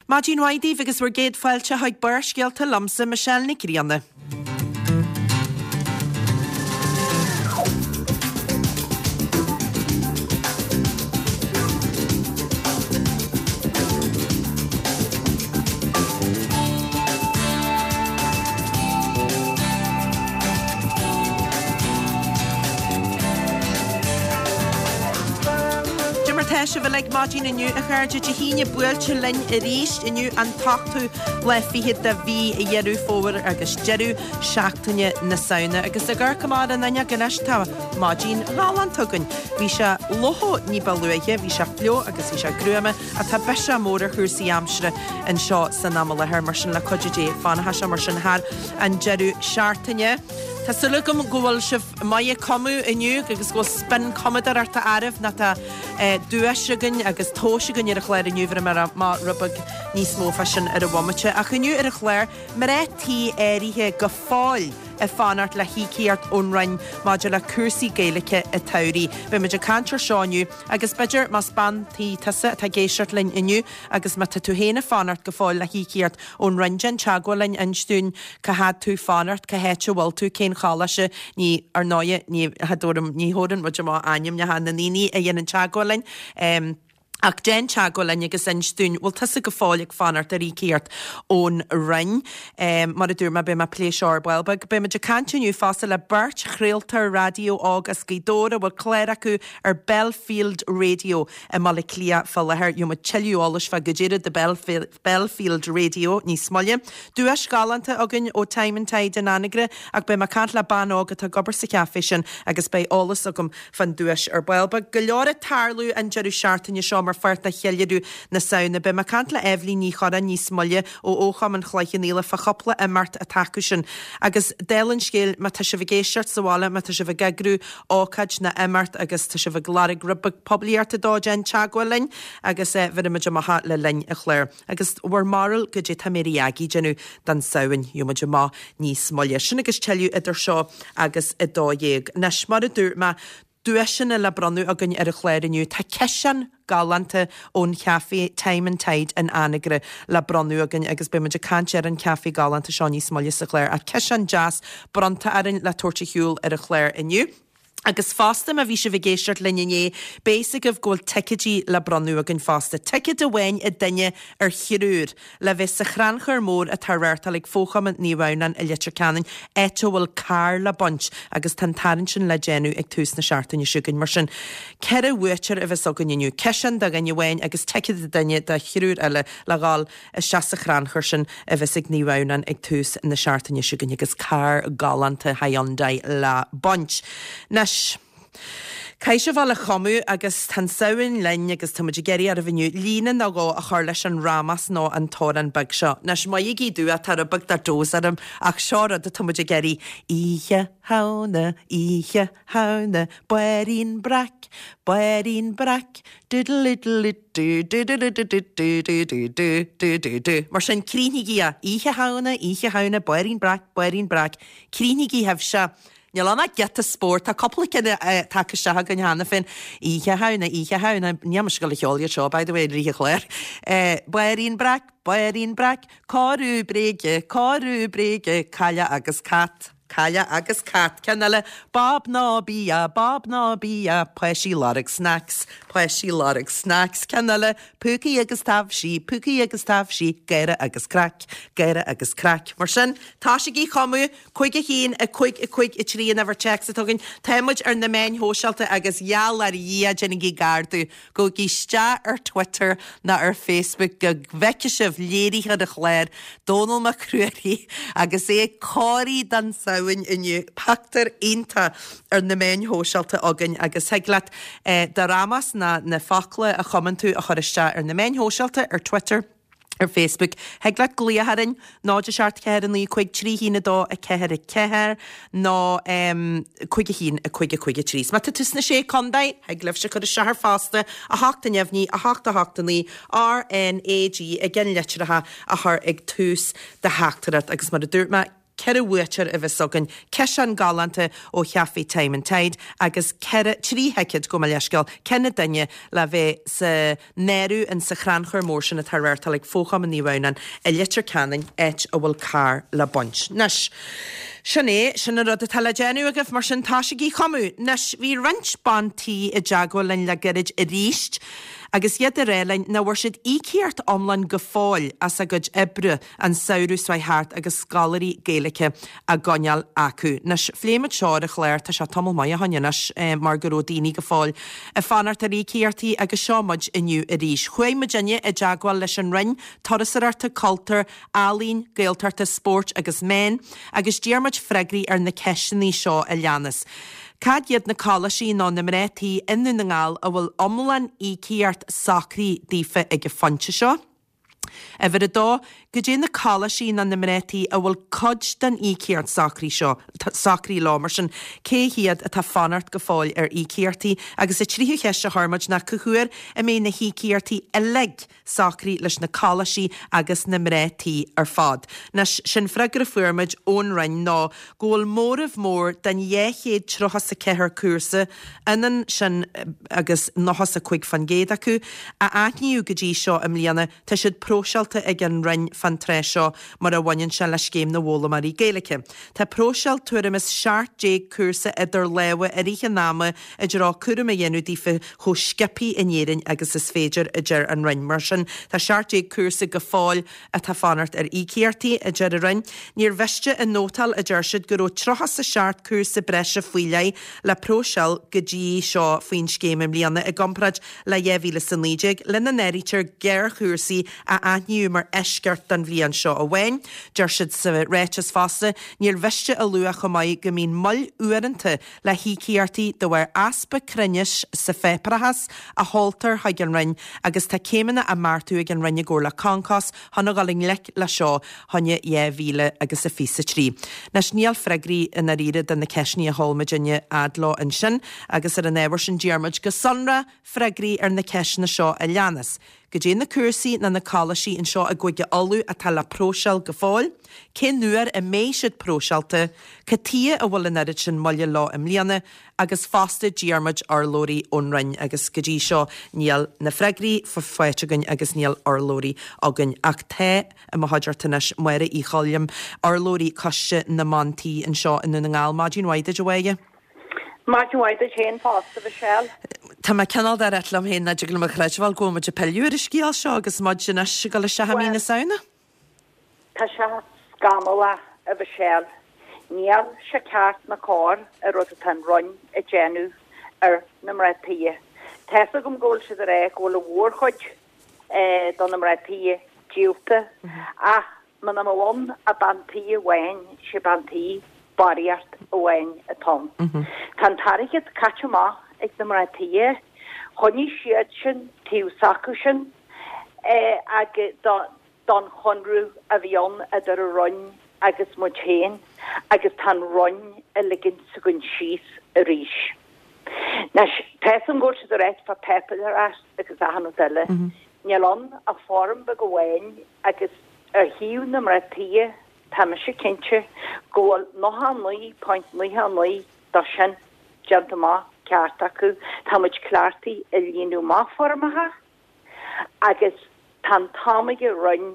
Maidin mhaith daoibh agus bhur gcéad fáilte chuig Barrscéalta liomsa, Michelle Nic Grianna. Cad é mar tá sibh uilig maidin inniu, a chairde? Dé hAoine buailte linn arís inniu an t-ochtú lá fichead de mhí Dheireadh Fómhair agus deireadh seachtaine na Samhna. Agus ag amharc amach ar an fhuinneog anois tá maidin ghalánta againn. Bhí sé fliuch ní ba luaithe, bhí sé fliuch agus bhí sé gruama ach tá biseach mór ar chúrsaí aimsire anseo san am i láthair, mar sin le cuidiú Dé fanfaidh sé mar sin thar an deireadh seachtaine. Tá súil agam go bhfuil sibh maith ag cumadh inniu agus go bhfuil spin cumadóireachta oraibh nó tá duais againn agus tomhais againn ar an chlár inniu, bhéarfaidh mé amach rud beag níos mó fá sin ar an bhomaite. Ach inniu ar an chlár, mná tí áirithe go fóill ag fanacht le híocaíocht ón Roinn maidir le cúrsaí Gaeilge an tsamhraidh. Beidh muid ag caint ar seo inniu agus b'fhéidir más bean tí tusa atá ag éisteacht linn inniu agus má tá tú féin ag fanacht go fóill le híocaíocht ón Roinn, déan teagmháil linn, inis dúinn cá fhad tú fanacht, cá háit a bhfuil tú, cén choláiste, ní, ar ndóighe, ní, cha dtabharfaidh, ní thabharann muid amach ainmneacha na ndaoine a dhéanann teagmháil linn. Ach déan teagmháil linn agus inis dúinn, bhfuil tusa go fóill ag fanacht ar íocaíocht ón Roinn? Mar a dúirt mé, beidh mé ag plé seo ar ball beag. Beidh muid ag caint inniu fosta le beirt chraoltóir raidió óg as Gaoth Dobhair a bhfuil clár acu ar Belfield Radio i mBaile Átha Cliath fá láthair. Gheobhaidh muid tuilleadh eolais fá goidé rud é Belfield Radio níos moille. Duais ghalánta againn ó Time and Tide in Anagaire ach beidh mé ag caint le bean óg atá ag obair sa chaifé sin agus beidh eolas agam fán duais ar ball beag. Go leor ag tarlú an deireadh seachtaine seo mar pháirt de cheiliúradh na Samhna. Beidh mé ag caint le Eibhlín Ní Chorráin níos moille ó Fhochumann Chloich Cheann Fhaola fá chúpla imeacht atá acu sin. Agus dála an scéil, má tá sibh ag éisteacht sa bhaile, má tá sibh ag eagrú ócáid ná imeacht agus tá sibh ag lorg rud beag poiblíochta dó, déan teagmháil linn agus bhéarfaidh muid amach le linn an chláir. Agus bhur mbarúil goidé tá Mary Aggie ag déanamh don Samhain, gheobhaidh muid amach níos moille. Sin agus tuilleadh idir seo agus 12. Anois, mar a dúirt mé, duaiseanna le bronnadh againn ar an chlár inniu. Tá ciseán galánta ón chaifé Time and Tide in Anagaire le bronnadh againn agus beidh muid ag caint ar an chaifé galánta seo níos moille sa chlár. Ach ciseán deas bronnta orainn le tabhairt ar shiúl ar an chlár inniu. Agus fosta, má bhí sibh ag éisteacht linn inné, beidh fhios agaibh go bhfuil ticéidí le bronnadh againn fosta. Ticéad amháin ag duine ar thriúr le bheith sa chrannchur mór atá á reáchtáil ag Fochumann Naomh Adhamhnáin i Leitir Ceanainn, áit a bhfuil carr le baint agus tá an tarraingt sin le déanamh ag tús na seachtaine seo chugainn. Mar sin, 4 bhuaiteoir a bheas againn inniu, ciseán do dhuine amháin agus ticéad ag duine do thriúr eile le dhul isteach sa chrannchur sin a bheas ag Naomh Adhamhnáin ag tús na seachtaine seo chugainn agus carr galánta Hyundai le baint. Anois, caithfidh sibh a dhul a chumadh agus tá an Samhain linn agus tá muid ag iarraidh oraibh inniu líne nó dhó a chur leis an rámás nó an t-amhrán beag seo. Anois, maithigí domh, tá rud beag de dose orm ach seo rud atá muid ag iarraidh. Oíche Shamhna, Oíche Shamhna, Bairín Breac, Bairín Breac, Diddle-iddle-it. Du du du du du du du du du du du du du. Mar sin, críochnaígí é. Oíche Shamhna, Oíche Shamhna, Bairín Breac, Bairín Breac. Críochnaígí sibhse. Níl ann ach giota spóirt. Tá cúpla ceann tagtha isteach againn cheana féin. Oíche Shamhna, Oíche Shamhna. Níl mise ag dul a cheol iad seo, by the way, i rith an chláir. Bairín Breac, Bairín Breac, Cóiriú bréige, cóiriú bréige, Cailleach agus cat. Cailleach agus cat. Ceann eile, Bob ná bia, Bob ná bia, páistí lorg snacks, páistí lorg snacks. Ceann eile, Púcaí agus taibhsí, púcaí agus taibhsí, gáire agus craic, gáire agus craic. Mar sin, tosaígí a chumadh, 5 1, 5 5 3 an uimhir téacs atá againn. Tá muid ar na meáin shóisialta agus gheall ar Dhia, déanaigí gar domh. Gabhaigí isteach ar Twitter ná ar Facebook go bhfeicfidh sibh léiritheoir an chláir, Dónall Mac Ruairí, agus é ag corraí don Samhain inniu. Pictiúr iontach ar na meáin shóisialta againn agus thig leat do rámás ná na focla a chumann tú a chur isteach ar na meáin shóisialta, ar Twitter. ar Facebook. Thig leat glaoch orainn, 0 7 4 9 5 3 1 2 4 4 nó 5 1 5 5 3. Má tá tú sna Sé Contae, thig libhse cur isteach air fosta, 8 neamhní, 8 8 9, R N A G i gceannlitreacha a chur ag tús do theachtaireacht agus mar a dúirt mé, 4 bhuaiteoir a bheas againn, ciseán galánta ó Chaifé Time and Tide agus 4, 3 thicéad, gabh mo leithscéal, ceann an duine le bheith san áireamh in sa chrannchur mór sin atá á reáchtáil ag Fo-Chumann Naomh Adhamhnáin i Leitir Ceanainn, áit a bhfuil carr le baint. Anois, sin é, sin an rud atá le déanamh agaibh, mar sin tosaígí ag cumadh. Anois, bhí roinnt ban tí i dteagmháil linn le gairid arís agus iad ag rá linn nach bhfuair siad íocaíocht iomlán go fóill as a gcuid oibre an samhradh seo thart agus scoláirí Gaeilge á gcoinneáil acu. Anois, phléigh muid seo ar an chlár, tá sé tamall maith ó shoin anois, mar go raibh daoine go fóill ag fanacht ar íocaíochtaí agus seo muid inniu arís. Chuaigh muidinne i dteagmháil leis an Roinn Turasóireachta, Cultúir, Ealaíon, Gaeltachta, Spóirt agus Meán agus d'iarr muid freagraí ar na ceisteanna seo a leanas. Cad iad na coláistí nó na mná tí i nDún na nGall a bhfuil iomlán íocaíocht socraithe daofa ag an phointe seo? Uimhir a dó, Goidé na coláistí nó na mná tí a bhfuil cuid den íocaíocht socraithe seo, socraithe leo, mar sin, cé hiad atá fanacht go fóill ar íocaíochtaí? Agus an tríú cheist a chuir muid ná cá huair a mbeidh na híocaíochtaí uilig socraithe leis na coláistí agus na mná tí ar fad? Anois, sé'n freagra a fuair muid ón Roinn ná go bhfuil móramh mór den 234 cúrsa, ionann sin agus 95% acu, a aithníodh go dtí seo i mbliana, tá siad próiseáilte ag an Roinn fán tráth seo mar a bhaineann sé le Scéim na bhFoghlaimeoirí Gaeilge. Tá próiseáil tuairim is 17 cúrsa idir lámha i rith an ama i dtreo cúram a dhéanamh daofa chomh sciobtha in Éirinn agus is féidir, a deir an Roinn. Mar sin, tá 17 cúrsa go fóill atá fanacht ar íocaíochtaí, a deir an Roinn. Níor mhiste a nótáil, a deir siad, go raibh 37 cúrsa breise faoi leith le próiseáil go dtí seo faoin scéim i mbliana i gcomparáid le 2019, lena n-áirítear géarchúrsaí a aithníodh mar eisceacht don bhliain seo amháin. Deir siad sa ráiteas fosta, Níor mhiste a lua chomh maith go mbíonn moill uaireanta le híocaíochtaí de bharr easpa cruinnis sa pháipéarachas a sheoltar chuig an Roinn agus tá céimeanna á mbeartú ag an Roinn i gcomhar le Concos chun a dhul i ngleic le seo choinne 2000 agus a 23. Anois níl freagraí i ndáiríre do na ceisteanna a sheol muidinne fhad leo ansin agus ar an ábhar sin d'iarr muid go sonrath freagraí ar na ceisteanna seo a leanas. Goidé na cúrsaí ná na coláistí anseo i gCúige Uladh atá le próiseáil go fóill? Cén uair a mbeidh siad próiseáilte? Cad tuighe a bhfuil an oiread sin moille leo i mbliana? Agus fosta d'iarr muid urlabhraí ón Roinn agus go dtí seo níl na freagraí faighte againn agus níl urlabhraí againn. Ach tá i mo chuideachta anois Máire Uí Choilm, urlabhraí Coiste na mBan Tí anseo i nDún na nGall. Maidin mhaith duit a Mháire. Maidin mhaith duit féin fosta, Michelle. Tá mé cineál de ráit liom féin nach dtig liom a chreidbheáil go bhfuil muid ag pilleadh ar an scéal seo agus muid anois ag dul isteach i mí na Samhna. Tá sé scannalach, a Mhichelle. Níl sé ceart ná cóir an rud atá an Roinn ag déanamh ar na mná tí. Tá's agam go bhfuil siad ag rá go bhfuil an mhórchuid de na mná tí díolta ach Muna mbeadh ann ach bean tí amháin, sé bean tí barraíocht amháin atá ann. Tá an t-airgead caite amach ag na mná tí, choinnigh siad sin taobh s'acu sin agus don chonradh a bhí ann idir an Roinn agus muid féin agus tá an Roinn ag ligint s'againn síos arís. Anois, tá's agam go bhfuil siad ag ráit fá páipéarachas agus achan rud eile. Níl ann ach foirm beag amháin agus ar thaobh na mná tí, tá mise cinnte go bhfuil 99.99 dó sin déanta amach ceart acu. Tá muid cleachtaithe ag líonadh amach foirmeacha agus tá an t-am ag an Roinn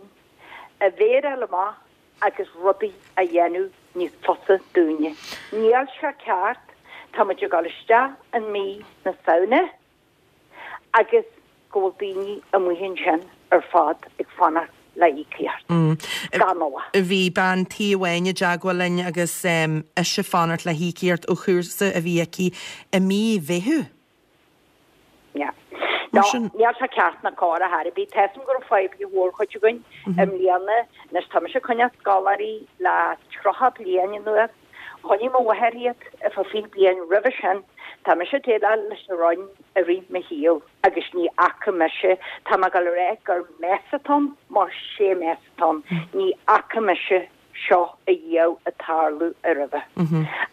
a mhéar a fháil amach agus rudaí a dhéanamh níos fusa dúinne. Níl sé ceart, tá muid ag dul isteach in mí na Samhna agus go bhfuil daoine amuigh ansin ar fad ag fanacht le íocaíocht. Scannalach. Bhí bean tí amháin i dteagmháil linn agus ise ag fanacht le híocaíocht ó chúrsa a bhí aici i mí Mheithimh. Yeah. No, níl sé ceart ná cóir ar chor ar bith. Tá's agam go raibh fadhb ag an mhórchuid againn i mbliana. Anois tá mise ag coinneáil scoláirí le 30 bliain anuas. Choinnigh mo mháthair iad ar feadh 20 bliain roimhe sin. Tá mise ag déileáil leis an Roinn i rith mo shaoil agus ní fhaca mise, tá mé ag dul a rá gur mess atá ann mar sé mess atá ann, ní fhaca mise seo ariamh ag tarlú roimhe.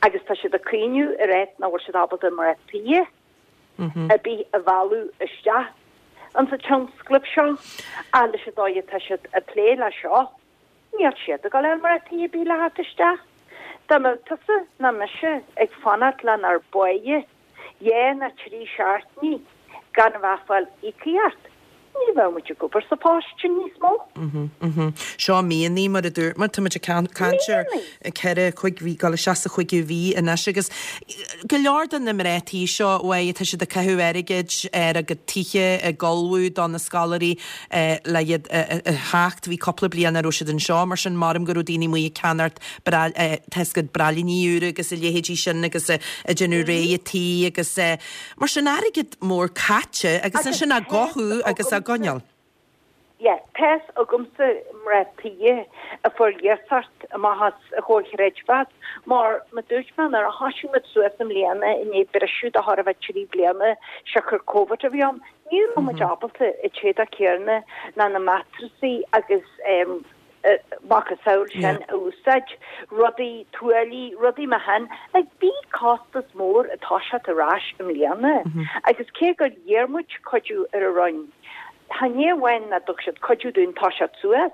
Agus tá siad ag caoineadh ag ráit nach bhfuil siad ábalta mná tí ar bith a mhealladh isteach insa tionscnamh seo ach leis an dóigh atá siad ag plé le seo. Níl siad ag dul a fháil mná tí ar bith le theacht isteach. Dá mbeadh tusa ná mise ag fanacht lenár bpáighe dhá ná trí seachtainí gan a bheith ag fáil íocaíocht, ní bheadh muid ag obair sa phost sin níos mó. Seo míonna, mar a dúirt muid, tá muid ag caint ar cheithre, chúig mhí, dul isteach sa chúigiú mhí anois agus go leor de na mná tí seo, uaidh, tá siad ag caitheamh airgid ar a gcuid tithe, ag ullmhú do na scoláirí le iad a theacht. Bhí cúpla bliain nach raibh siad anseo, mar sin maram go raibh daoine amuigh ag ceannacht tá 's agat braillíní úra agus a leithéidí sin agus ag déanamh réidh an tí agus mar sin airgead mór caite agus ansin á gcothú agus á gcoinneáil. Yeah, tá's agamsa mná tí a fuair iasacht amach as an Chomhar Chreidmheas mar mar dúirt mé nuair a thoisigh muid suas i mbliana i ndiaidh briseadh de chóir a bheith 3 bliana siocair Covid a bhí ann, Ní raibh muid ábalta an t-éadach céanna ná na matrasaí agus macasamhail sin a úsáid, rudaí, tuáillí, rudaí mar shin. Like, bhí costas mór ag toiseacht ar ais i mbliana agus cé gur iarr muid cuidiú ar an Roinn, chan é amháin nach dtug siad cuidiú dúinn toiseacht suas,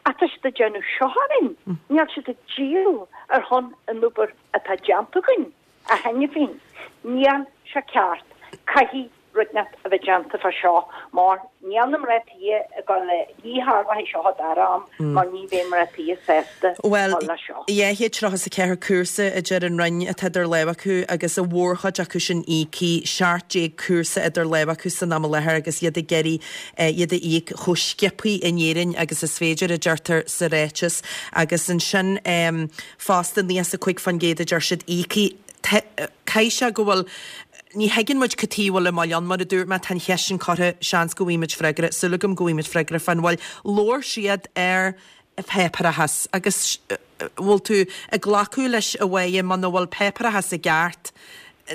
ach tá siad ag déanamh seo orainn, níl siad ag díol ar shon an obair atá déanta againn. A cheana féin, níl sé ceart. Caithfidh rud inteacht a bheith déanta fá seo mar níl na mná tí ag dul le, ní tharlóidh seo an dara am mar ní bheidh mná tí sásta Bhuel, dul leis seo. 234 cúrsa a deir an Roinn atá idir lámha acu agus a mhórchuid acu sin íoctha, 17 cúrsa idir lámha acu san am i láthair agus iad ag iarraidh iad a íoc chomh sciobtha in Éirinn agus is féidir, a deirtear sa ráiteas. Agus ansin. Fosta, 95% a deir siad íoctha. Caithfidh sé go bhfuil, ní thuigeann muid cad chuige a bhfuil an mhoill ann, mar a dúirt mé, tá an cheist sin curtha, seans go bhfaighidh muid freagra, súil agam go bhfaighidh muid freagra fán mhoill. Labhair siad ar pháipéarachas agus bhfuil tú ag glacadh leis a Mháire muna bhfuil páipéarachas i gceart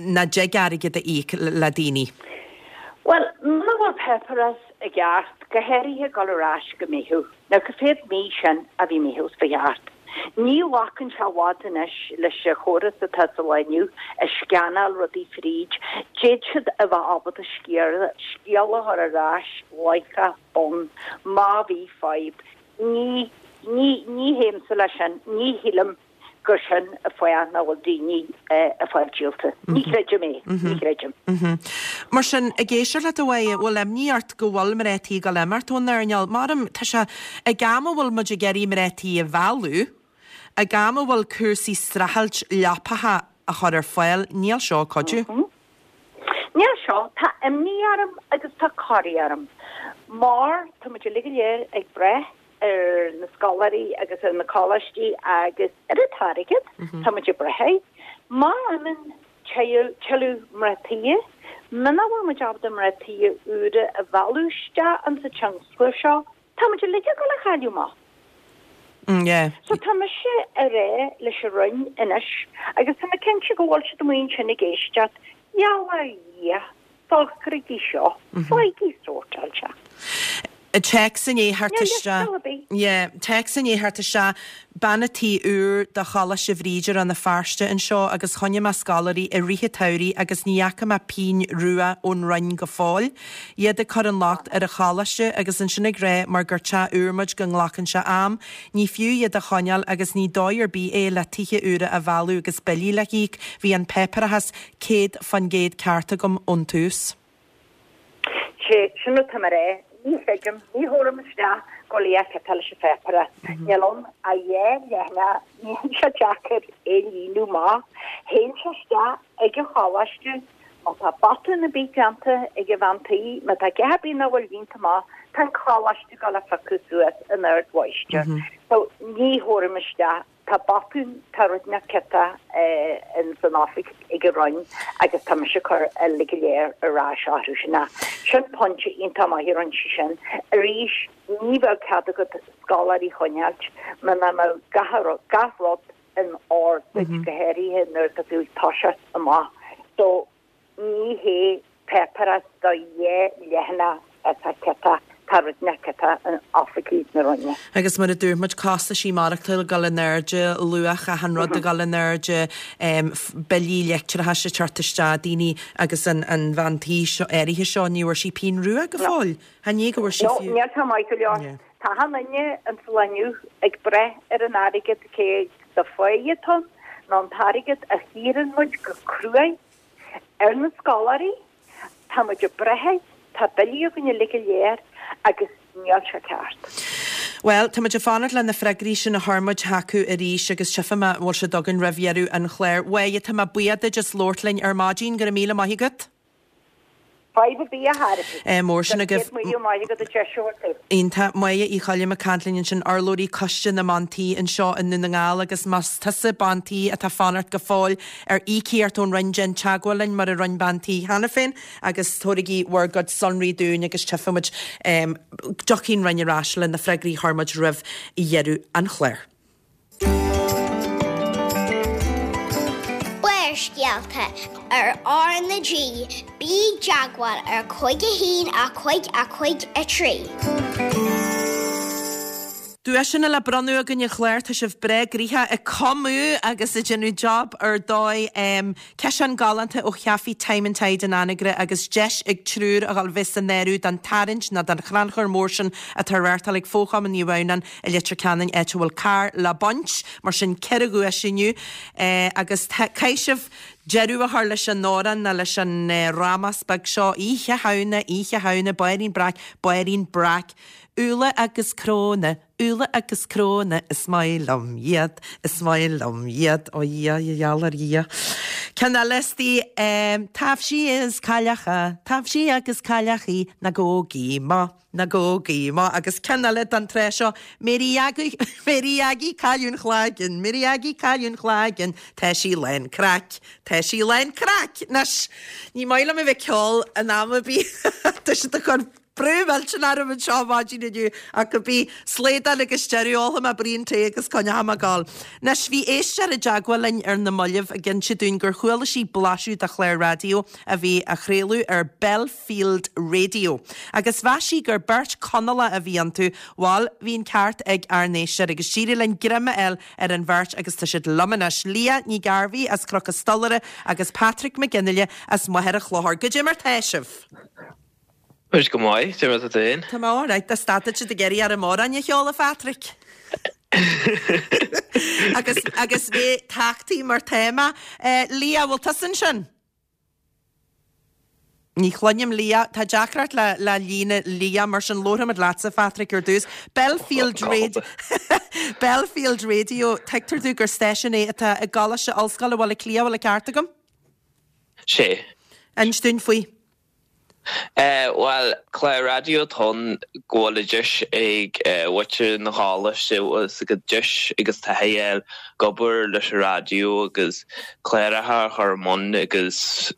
nach dtig airgead a íoc le daoine? Bhuel, muna bhfuil páipéarachas i gceart, go háirithe dul ar ais go Meitheamh. Now cá mhéad mí sin a bhí Meitheamh ba cheart. Ní ghlacann sé i bhfad anois leis an chóras atá sa lá inniu ag scannáil rudaí fríd. D'fhéad siad a bheith ábalta scéala a chur ar ais láithreach bonn má bhí fadhb. Ní, ní, ní théimse leis sin. Ní shílim. gur sin an fáth nach bhfuil daoine ag fáil díolta. Ní chreidim é. Ní chreidim. Mar sin, ag éisteacht leat a Mháire, bhfuil imní ort go bhfuil mná tí ag dul imeacht ón earnáil? Maram, tá sé ag am a bhfuil muid ag iarraidh mná tí a mhealladh, ag am a bhfuil cúrsaí streachailt leapacha a chur ar fáil, níl seo ag cuidiú. Níl seo. Tá imní orm agus tá corraí orm mar tá muid uilig go léir ag brath ar na scoláirí agus ar na coláistí agus ar an t-airgead, tá muid ag brath air. Má imíonn tuilleadh mná tí, muna bhfuil muid ábalta mná tí úra a mhealladh isteach insa tionscal seo, tá muid uilig ag dul a chailleadh amach. So tá mise ag rá leis an Roinn anois, agus tá mé cinnte go bhfuil siad amuigh ansin ag éisteacht, gheall ar Dhia, Socraígí seo, faighigí sórtáilte. Téacs i ndiaidh theacht isteach. Yeah, téacs i ndiaidh theacht isteach. Bean a' tí úr do Choláiste Bhríde Rann na Feirste anseo agus choinnigh mé scoláirí i rith an tsamhraidh agus ní fhaca mé pínn rua ón Roinn go fóill. Iad ag cur an locht ar an choláiste agus ansin ag rá mar gur teach úr muid go nglacann sé am. Ní fiú iad a choinneáil agus ní dóigh ar bith é le tithe úra a mhealladh agus billí le híoc. Bhí an páipéarachas 100% ceart agam ón tús. Sé sin atá mé a rá. Ní chreidim, ní thabharfainn isteach go léir cad tá leis an pháipéarachas. Níl ann ach dhá leathanach, níl sé deacair é líonadh amach. Théann sé isteach ag an choláiste, má tá botún ar bith déanta ag an bhean tí, má tá a dhath ar bith nach bhfuil líonta amach, tá an coláiste ag dul a phiocadh suas in ard mháistir. So ní thabharfainn isteach. Tá botún, tá rud inteacht ciotach ins an oifig ag an Roinn agus tá mise ag cur uilig go léir ar ais orthu sin. Sin pointe iontach maith a rinne sí sin. Arís, ní bheadh cead agat scoláirí a choinneáilt muna mbeadh gach rud in ord duit, go háirithe nuair atá tú ag toiseacht amach. So, Ní hé páipéarachas do dhá leathanach atá ciotach, tá rud inteacht ciotach in oifigí na Roinne. Agus mar a dúirt muid, costaisí maireachtála ag dul in airde, luach achan rud ag dul in airde, billí leictreachais ag teacht isteach, daoine agus an bhean tí seo áirithe seo, ní bhfuair sí pínn rua go fóill. Chan é go bhfuair sí fiú. No, níl tá maith go leor. Tá achan duine insa lá inniu ag brath ar an airgead cé de pháighe atá ann nó an t-airgead a shaothraíonn muid go cruaidh ar na scoláirí, tá muid ag brath air, tá billí againn uilig go léir agus níl sé ceart. Bhuel, tá muid ag fanacht le na freagraí sin a chur muid chucu arís agus tchífidh mé an bhfuil siad againn roimh dheireadh an chláir. A Mháire, tá mé buíoch duit as labhairt linn ar maidin. Go raibh míle maith agat. Fadhb ar bith a thairfidh. Mór sin agaibh. Go raibh míle maith agat as deis a thabhairt dom. Iontach. Máire Uí Choilm ag caint linn ansin, urlabhraí Coiste na mBean Tí anseo i nDún na nGall agus más tusa bean tí atá fanacht go fóill ar íocaíocht ón Roinn déan teagmháil linn mar a rinne bean tí cheana féin agus tabhairigí bhur gcuid sonraí dúinn agus tchífidh muid dtiocfaidh an Roinn ar ais le na freagraí a chuir muid roimh dheireadh an chláir. Barrscéalta ar R na G, bí i dteagmháil ar 5 1 5 5 3. Duaiseanna le bronnadh againn a chlár, tá sibh breá gnoitheach ag cumadh agus ag déanamh job ar dóigh. Ciseán galánta ó Chaifé Time and Tide in Anagaire agus deis ag triúr a dhul bheith san áireamh don tarraingt nó don chrannchur mór sin atá á reáchtáil ag Fo-Chumann Naomh Adhamhnáin i Leitir Ceanainn áit a bhfuil carr le baint. Mar sin 4 dhuais inniu agus caithfidh sibh deireadh a chur leis an amhrán nó leis an rámás beag seo, Oíche Shamhna, Oíche Shamhna, Báirín Breac, Báirín Breac, Úlla agus cróna, Úlla agus cróna, is maith liom iad, is maith liom iad, ó Dhia, a gheall ar Dhia. Ceann eile istigh, taibhsí is cailleacha, taibhsí agus cailleachaí, na gógaí mo, na gógaí mo. Agus ceann eile don tráth seo, Mary Aggie, Mary Aggie, cailleadh an chlaiginn, Mary Aggie, cailleadh an chlaiginn, tá sí lán craic, tá sí lán craic. Anois, ní maith liom a bheith ag ceol in am ar bith, tá siad ag cur Brú millteanach orm anseo maidin inniu ach cibé, slaghdán agus deireadh, ólfaidh mé braon tae agus coinneoidh mé ag gabháil. Anois, bhí éisteoir i dteagmháil linn ar na mallaibh ag inse dúinn gur chuala sí blaiseadh de chlár raidió a bhí á chraoladh ar Belfield Radio agus mheas sí gur beirt Chonallach a bhí iontu. Bhal, bhí an ceart ag ár n-éisteoir agus d'éirigh linn greim a fháil ar an bheirt agus tá siad liom anois, Leah Ní Ghairbhí as Cnoc an Stolaire agus Patrick Mac Fhionnghaile as Machaire Chlochair. Goidé mar tá sibh? Muid go maith, cad é mar atá tú féin? Tá mé alright, tá stad siad ag iarraidh orm amhrán a cheol, a Phatrick. Agus, agus bheith tachtaí mar téama. Leah, bhfuil tusa ansin? Ní chluinim Leah, tá deacracht le, le líne Leah, mar sin labharfaimid leatsa, Phatrick, ar dtús. Belfield Radio, Belfield Radio, tuigtear domh gur stáisiún é atá i gColáiste Ollscoile Bhaile Átha Cliath, bhfuil an ceart agam? Sé. Inis dúinn faoi. Bhuel, clár raidió atá ann go bhfuil an deis ag muintir na choláiste bhfuil a gcuid deis agus taithí a fháil ag obair leis an raidió agus cláracha a chur i mbun agus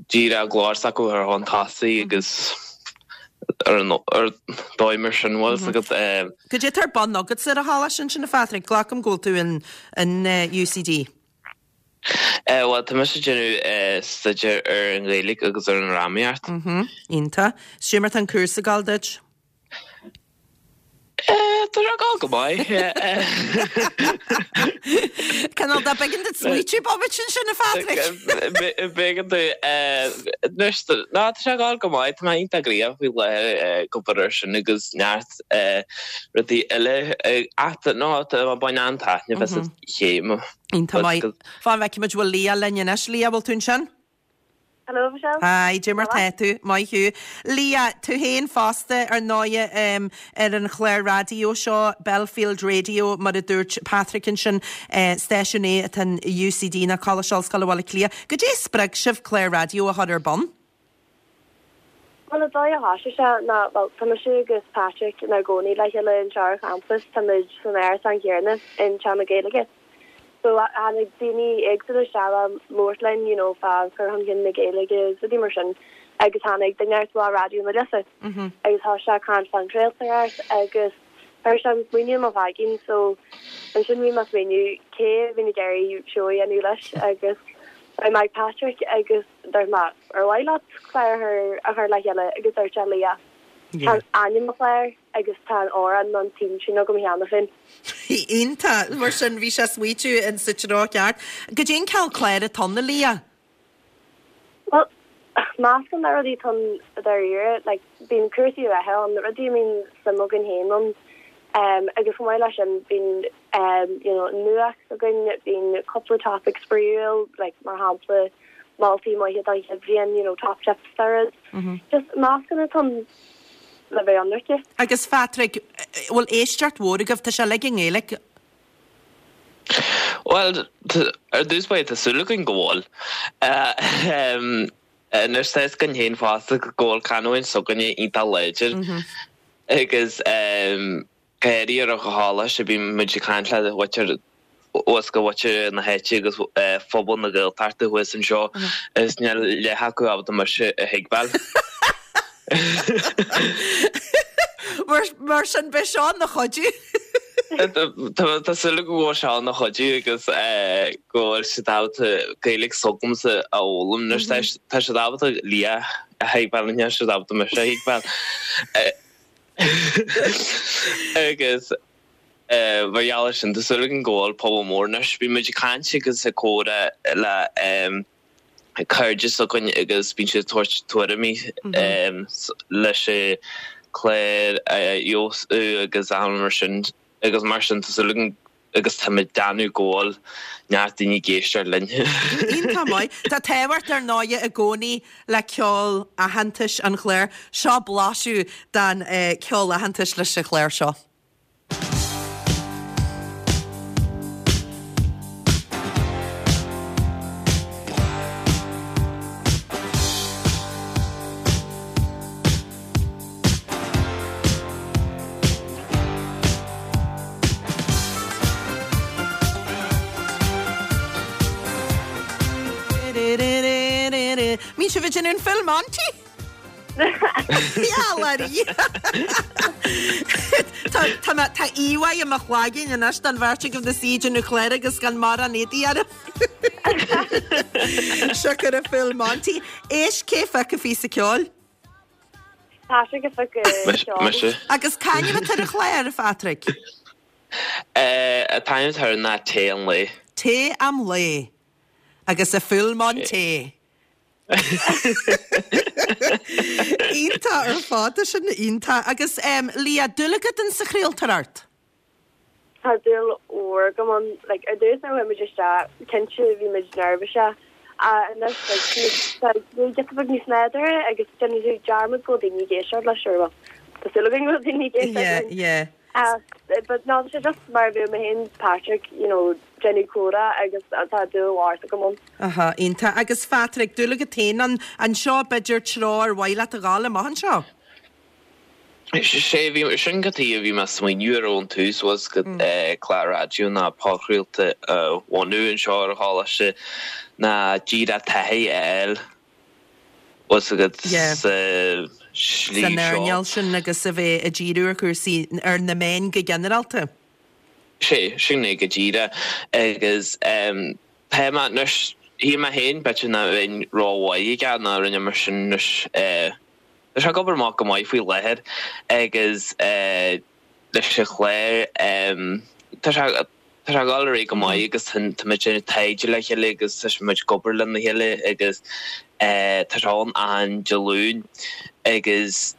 díreach glór s'acu a chur chun tosaigh agus ar an ar dóigh mar sin bhfuil 's agat. Cad é atá ar bun agatsa ar an choláiste ansin a Phatrick? Glacaim go bhfuil tú in in UCD. Bhuel, tá mise ag déanamh staidéar ar an Ghaeilge agus ar an drámaíocht. Iontach. Is cad é mar tá an cúrsa ag gabháil duit? Tá sé ag gabháil go maith. Cineál de b'éigean duit smaoitiú bomaite ansin, a Phatrick. B'éigean duit. Anois, ná, tá sé ag gabháil go maith. Tá mé iontach gnoitheach faoi láthair ag obair air sin agus neart rudaí eile. Ach, ná, tá mé ag baint an-taitneamh as an chéim. Iontach maith. Fan go bhfeicfidh muid bhfuil Leah linn anois. Leah, bhfuil tú ansin? Hello, Michelle. Hi, cad é mar tá tú? Maith thú. Leah, tú féin fosta, ar ndóighe, ar an chlár raidió seo, Belfield Radio, mar a dúirt Patrick ansin, stáisiún é atá in UCD, ná Coláiste Ollscoile Bhaile Átha Cliath. Goidé a spreag sibh clár raidió a chur ar bun? Bhuel, an dóigh a thosaigh sé ná, bhuel, tá mise agus Patrick inár gcónaí le chéile anseo ar champas, tá muid san árasán céanna in Teach na Gaeilge. So, tháinig daoine éagsúla isteach le labhairt linn, you know, fá chur chun cinn na Gaeilge agus rudaí mar sin agus tháinig duine inteacht le Raidió na Life agus thosaigh sé ag caint fán chraoltóireacht agus chuir sé an smaoineamh i mo chloigeann so ansin bhí mé ag smaoineamh cé a bheinn ag iarraidh seó a dhéanamh leis agus bhí mé ag Patrick agus Dúirt mé, ar mhaith leat clár a chur le chéile agus dúirt sé Leah, tá ainm an chláir agus tá an amhrán nó an theme tune agam cheana féin. Iontach! Mar sin bhí sé smaoitiú in sa treo ceart. Goidé an cineál cláir atá ann, a Leah? Bhuel, Meascán de rudaí atá ann i dáiríre, like bíonn cúrsaí reatha ann, rudaí a mbíonn suim againn féin ann agus chomh maith leis sin bíonn you know nuacht againn, bíonn cúpla topic spraíúil like mar shampla moltaí maithe don chéad bhliain, you know top tips dá rud. Just meascán atá ann le bheith ionraice. Agus a Phádraig, bhfuil éisteacht mhór agaibh? Tá sé uilig i nGaeilge. Bhuel, ar dtús báire, tá súil againn go bhfuil. Anois, tá fhios againn féin fosta go bhfuil canúint s'againne iontach láidir agus go háirithe ar an choláiste bíonn muid ag caint le muintir thuas go mhuintir na háite agus phobal na Gaeltachta thuas anseo is níl leath acu ábalta mise a thuigbheáil. Mar sin, beidh seo ina chuidiú. Tá súil agam go bhfuil seo ina chuidiú agus go bhfuil siad ábalta Gaeilge s'agamsa a fhoghlaim. Anois tá siad ábalta Liadh a thuigbheáil, níl siad ábalta mise a thuigbheáil. Agus mar gheall air sin, tá súil againn go bhfuil pobal mór anois. Bíonn muid ag caint agus ag comhrá le cairde s'againn agus bíonn siad ag tabhairt tuairimí leis an clár a fheabhsú agus achan rud mar sin agus mar sin tá súil againn agus tá muid ag déanamh go bhfuil neart daoine ag éisteacht linn. Iontach maith. Tá tábhacht ar ndóighe i gcónaí le ceol aitheantais an chláir. Seo blaiseadh den cheol aitheantais leis an chlár seo. Bhí sibh ag déanamh an Full Monty? Tá mé, tá íomhá i mo chloigeann anois den bheirt agaibh ina suí ag déanamh cláir agus gan mórán éadaí oraibh. Siocair an Full Monty. Éist, cé a phioc an píosa ceoil? Patrick a phioc an ceol. Mise. Agus c'ainm atá ar an chlár, a Phatrick? An t-ainm atá air ná Tae an Lae. Tae an Lae. Agus a Full Monty. Iontach ar fad, tá sin iontach. Agus Liadh, dúil agat in sa chraoltóireacht? Tá dúil mhór agam ann. Like, ar dtús nuair a chuaigh muid isteach, cinnte bhí muid neirbhíseach. Ach anois, like, tá giota beag níos nádúrtha agus déanann tú dearmad go bhfuil daoine ag éisteacht leis, or well, tá súil againn go bhfuil daoine ag éisteacht Yeah, linn. yeah. Ach, but no, tá sé just mar a bheadh mé féin 's Patrick, you know, déanamh comhrá agus tá dúil mhór agam ann. Aha, iontach. Agus Phatrick, dúil agat féin ann, an seo b'fhéidir treo ar mhaith leat a ghabháil amach anseo? Sé, bhí, sin cad chuige a bhí mé ag smaoineamh air ón tús was go clár raidió ná podchraolta a bhunú anseo ar an choláiste ná díreach taithí a fháil was agat Yeah. sa slí San seo. earnáil sin agus a bheith ag díriú ar chúrsaí, ar na meáin go ginearálta. Sé, sin é go díreach agus tá mé anois, shíl mé féin b'fhéidir nach mbeinn rómhaith aige ná rinne mar sin anois, tá sé ag obair amach go maith faoi láthair agus leis an chlár tá sé, tá sé ag dul ar aghaidh go maith agus tá muid ag déanamh taighde le chéile agus tá muid ag obair lena chéile agus tá sé ann achan Dé Luain agus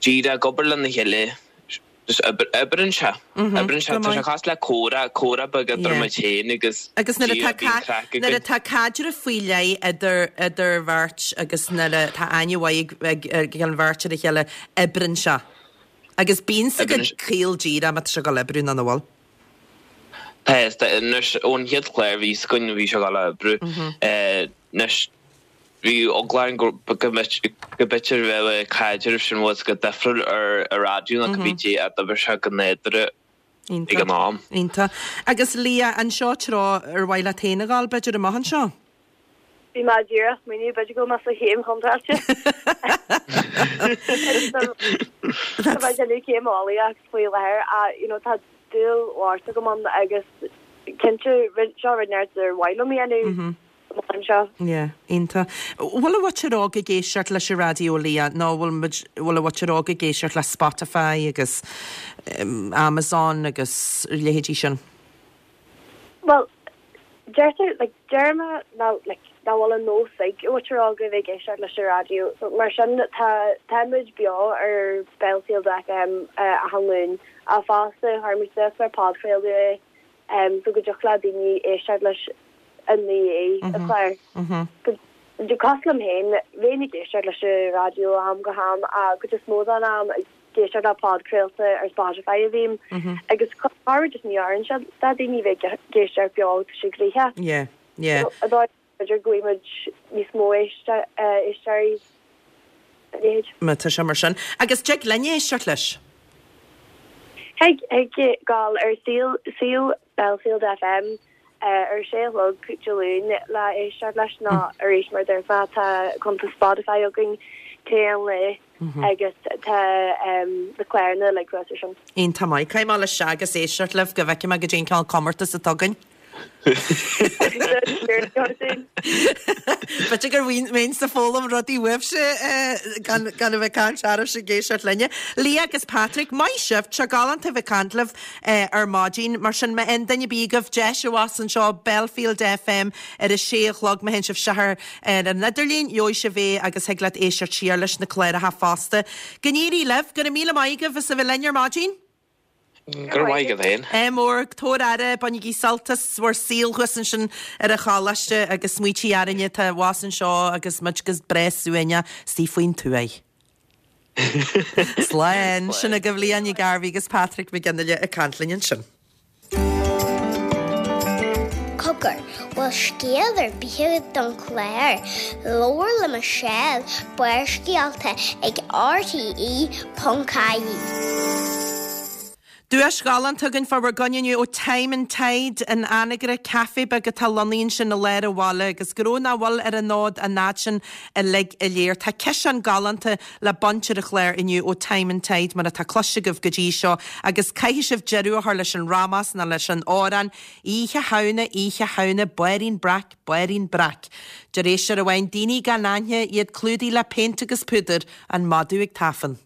díreach ag obair lena chéile just oibreann sé, oibreann sé, tá sé cosúil le comhrá, comhrá beag idir muid féin agus Agus nuair atá bíonn craic againn. Nuair atá caidreamh faoi leith idir, idir bheirt agus nuair atá aithne mhaith ag, ag an bheirt ar a chéile, oibreann sé. Agus bíonn a fhios agat caol díreach má tá sé ag dul oibriú nó nach bhfuil. Tá, tá, anois ón chéad chlár a bhí againn bhí sé ag dul a oibriú. Anois bhí eagla orainn go b'fhéidir bheadh an caidreamh sin bhfuil a fhios agat difriúil ar an raidió ná cibé dé a d'oibrigh sé go nádúrtha ag an am. Iontach. Agus Liadh, an seo treo ar mhaith leat féin a ghabháil b'fhéidir amach anseo? Bhí mé díreach ag smaoineamh b'fhéidir go bhfuil mé sa chéim chontráilte. Tá mé ag déanamh céim eolaíocht faoi láthair ach you know tá dúil mhór agam ann agus cinnte seo rud inteacht ar mhaith liom a dhéanamh amach anseo. Yeah, iontach. Bhfuil an mhuintir óg ag éisteacht leis an raidió Liadh nó bhfuil muid, bhfuil an mhuintir óg ag éisteacht le Spotify agus Amazon agus a leithéidí sin? Bhuel. Deirtear, like, deir mé ná, like, nach bhfuil an nós ag muintir óg a bheith ag éisteacht leis an raidió. So, mar sin, tá, tá muid beo ar Belfield FM achan Luan. Ach fosta, chuir muid suas mar podchraoladh é, em, so go dtiocfadh le daoine éisteacht leis i ndiaidh an chláir. Cosúil liom féin, bheinn ag éisteacht leis an raidió ó am go ham ach cuid is mó den am, ag éisteacht le podchraolta ar Spotify a bhím agus corruair just ní oireann sé do daoine bheith ag éisteacht beo tá sé gnoitheach. Yeah, yeah. So ar dóigh b'fhéidir go bhfaighidh muid níos mó éisteoirí a leithéid. Má tá sé mar sin. Agus dtig linn éisteacht leis? Thig, thig gabháil ar suíomh Belfield FM ar a sé a chlog Dé Luain le éisteacht leis nó arís mar a dúirt mé tá cuntas Spotify againn chaon lá agus tá na cláranna uilig thuas ar sin. Iontach maith. Caithfidh mé dul isteach agus éisteacht libh go bhfeicfidh mé goidé an cineál comórtas atá againn. B'fhéidir go mbeinnse ag foghlaim rudaí uaibhse gan a bheith ag caint oraibhse ag éisteacht linne. Leah agus Patrick, maith sibh, tá sé galánta a bheith ag caint libh ar maidin. Mar sin, má fhaigheann duine ar bith agaibh deis abhus anseo, Belfield FM ar a sé a chlog, má théann sibh isteach ar an idirlíon, gheobhaidh sibh é agus thig leat éisteacht siar leis na cláracha fosta. Go n-éirí libh, go raibh míle maith agaibh as a bheith linn ar maidin. Go raibh maith agat féin. Ádh mór, tabhair aire, bainigí sult as bhur saol thuas ansin ar an choláiste agus smaoitigh orainne atá abhus anseo agus muid go breá suaimhneach istigh faoin tuaith. Slán! Sin agaibh Leah Ní Ghairbhí agus Patrick Mac Fhionnghaile ag caint linn ansin. Cogar, bhfuil scéal ar bith agat don chlár? Labhair le Michelle, Barrscéalta ag RTE.ie. Duais ghalánta againn fá bhur gcoinne inniu ó Time and Tide in Anagaire, caife beag atá lonnaithe ansin i lár an bhaile agus go raibh nach bhfuil ar an fhód an fhad sin uilig go léir. Tá ciseán galánta le baint ar an chlár inniu ó Time and Tide mar atá cloiste agaibh go dtí seo agus caithfidh sibh deireadh a chur leis an rámás nó leis an amhrán Oíche Shamhna, Oíche Shamhna, Báirín Breac, Báirín Breac. Deir éisteoir amháin, daoine gan aithne, iad clúdaithe le péint agus púdar, an madadh ag tafann.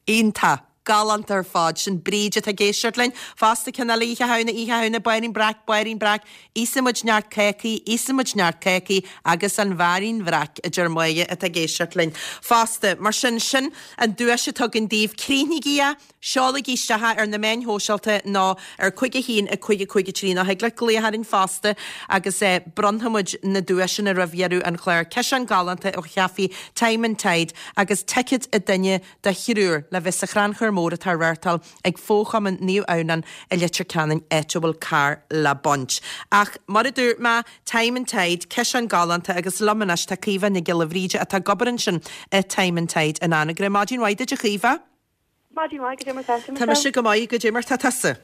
Iontach. Galánta ar fad. Sin Bríd atá ag éisteacht linn. Fosta ceann eile Oíche Shamhna, Oíche Shamhna, Báirín Breac, Báirín Breac, Íosfaidh muid neart cácaí, Íosfaidh muid neart cácaí agus an Bháirín Bhreac, a deir Máire atá ag éisteacht linn fosta. Mar sin, sin an duais atá againn daoibh. Críochnaígí é! Seolaigí isteach é ar na meáin shóisialta nó ar 5 1 5 5 3 nó thig leat glaoch orainn fosta agus bronnfaidh muid na duaiseanna roimh dheireadh an chláir. Ciseán galánta ó chaife Time and Tide agus ticéad an duine do thriúr le bheith sa chrannchur mór atá á reáchtáil ag Fo-Chumann Naomh Adhamhnáin i Leitir Ceanainn áit a bhfuil carr le baint. Ach mar a dúirt mé, Time and Tide, ciseán galánta agus liom anois tá Caoimhe Nic Giolla Bhríde atá ag obair ansin i Time and Tide in Anagaire. Maidin mhaith duit a Chaoimhe! Maidin mhaith, goidé mar tá tú, Tá mise go maith, goidé mar tá tusa?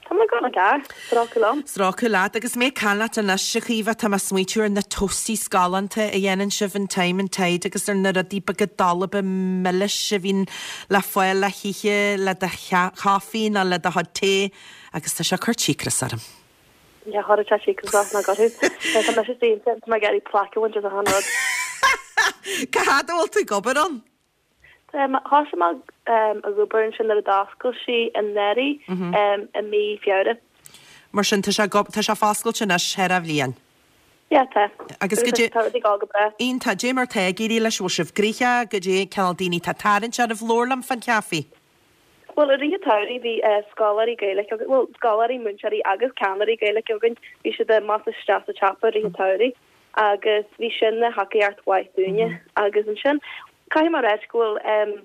Tá mé go maith, stróiceadh liom. Stróiceadh leat. Agus mé ag caint leat anois, a Chaoimhe, tá mé ag smaoitiú ar na toasties galánta a dhéanann sibh in Time and Tide agus ar na rudaí beaga dalba milis a bhíonn le fáil le hithe le do chaife nó le do chuid tae agus tá sé ag cur cíocras orm. Yeah, chuirfeadh sé cíocras ort nach gcuirfeadh. Tá mise déanta, tá mé ag iarraidh plaic a bhaint as achan rud. Cá fhad a bhfuil tú ag obair ann? Thosaigh mé ag obair ansin nuair a d'oscail sí anuraidh i mí Feabhra. Mar sin, tá sé tá sé foscailte anois thar an bhliain. Yeah, tá. Agus goidé. Tá rudaí ag dul go breá. Iontach. Goidé mar tá ag éirí leis, bhfuil sibh gnoitheach, goidé cineál daoine atá ag tarraingt oraibh, labhair liom fán chaife. Bhuel, i rith an tsamhraidh bhí scoláirí Gaeilge againn, bhuel, scoláirí, múinteoirí agus ceannairí Gaeilge againn, bhí siad amach is isteach sa tsiopa i rith an tsamhraidh agus bhí sin ina thacaíocht mhaith dúinne. Agus ansin, caithfidh mé a ráit go bhfuil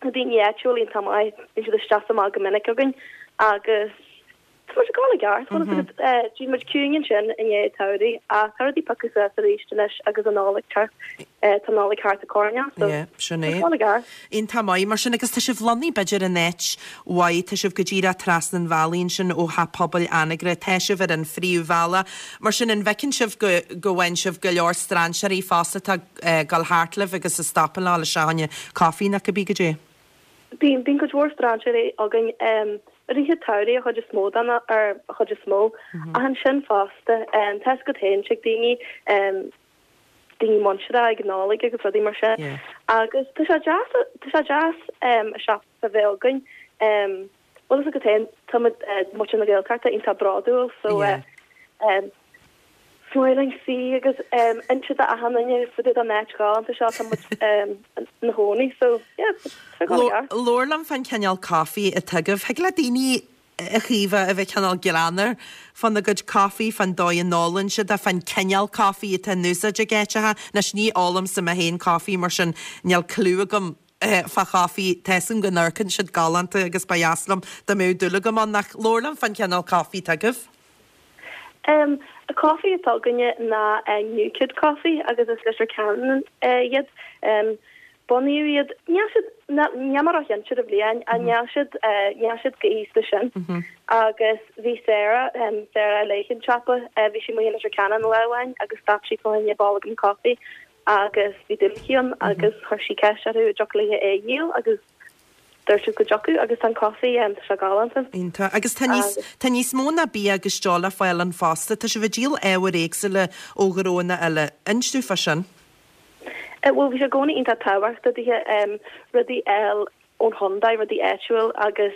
na daoine áitiúil iontach maith, bíonn siad isteach is amach go minic againn agus tá muid ag dul i gceart, bhfuil a fhios agat, bhí muid ciúin ansin i ndiaidh an tsamhraidh ach tá rudaí piocadh suas arís anois agus an Nollaig ag teacht, tá an Nollaig thart an coirnéal so Yeah, sin tá é. ag dul i gceart. Iontach maith mar sin agus tá sibh lonnaithe b'fhéidir in áit mhaith, tá sibh go díreach trasna an bhealaigh ansin ó Theach Pobail Anagaire, tá sibh ar an phríomhbhealach. Mar sin an bhfeiceann sibh go go bhfaigheann sibh go leor strainséirí fosta atá ag dul thart libh agus ag stopadh le fáil isteach fá choinne caife nó cibé goidé? Bíonn, bíonn cuid mhór strainséirí againn i rith an tsamhraidh an chuid is mó den, ar an chuid is mó, ach ansin fosta, tá a fhios agat féin, tig daoine, daoine muinteartha ag an Nollaig agus rudaí mar sin. Agus tá sé deas, tá sé deas an siopa a bheith againn. Bhfuil a fhios agat féin, tá muid, muintir na Gaeltachta iontach bródúil so. Smiling Sea agus inse d'achan duine fá dtaobh den áit ghalánta seo tá muid ina chónaí so yeah tá sé ag dul i gceart. Labhair liom fán chineál caife atá agaibh. Thig le daoine a Chaoimhe a bheith cineál greannmhar fána gcuid caife, fán dóigh a n-ólann siad é, fán cineál caife atá in úsáid ag áiteacha. Anois ní ólaimse mé féin caife mar sin níl cliú agam fá chaife. Tá 'fhios agam go n-amharcann siad galánta agus ba dheas liom dá mbeadh dúil agam ann ach labhair liom fán chineál caife atá agaibh. An caife atá againne ná New Kid Coffee agus is Leitir Ceanainn iad. Bunaíodh iad, níl siad, níl mé róchinnte ar an bhliain, ach níl siad, níl siad chomh haosta sin. Agus bhí Sarah, Sarah a léigh an siopa, bhí sí amuigh i Leitir Ceanainn lá amháin agus stop sí fá choinne bolgam caife agus bhí dúil aici ann agus chuir sí ceist orthu an dtiocfadh léi é a dhíol agus Dúirt siad go dtiocfadh agus tá an caife, tá sé galánta. Iontach. Agus tá níos, tá níos mó ná bia agus deoch le fáil ann fosta. Tá sibh ag díol ábhair éagsúla ó ghnóanna eile. Inis domh fá sin. Bhuel, bhí sé i gcónaí iontach tábhachtach daoithe rudaí a fháil ón chontae, rudaí áitiúil agus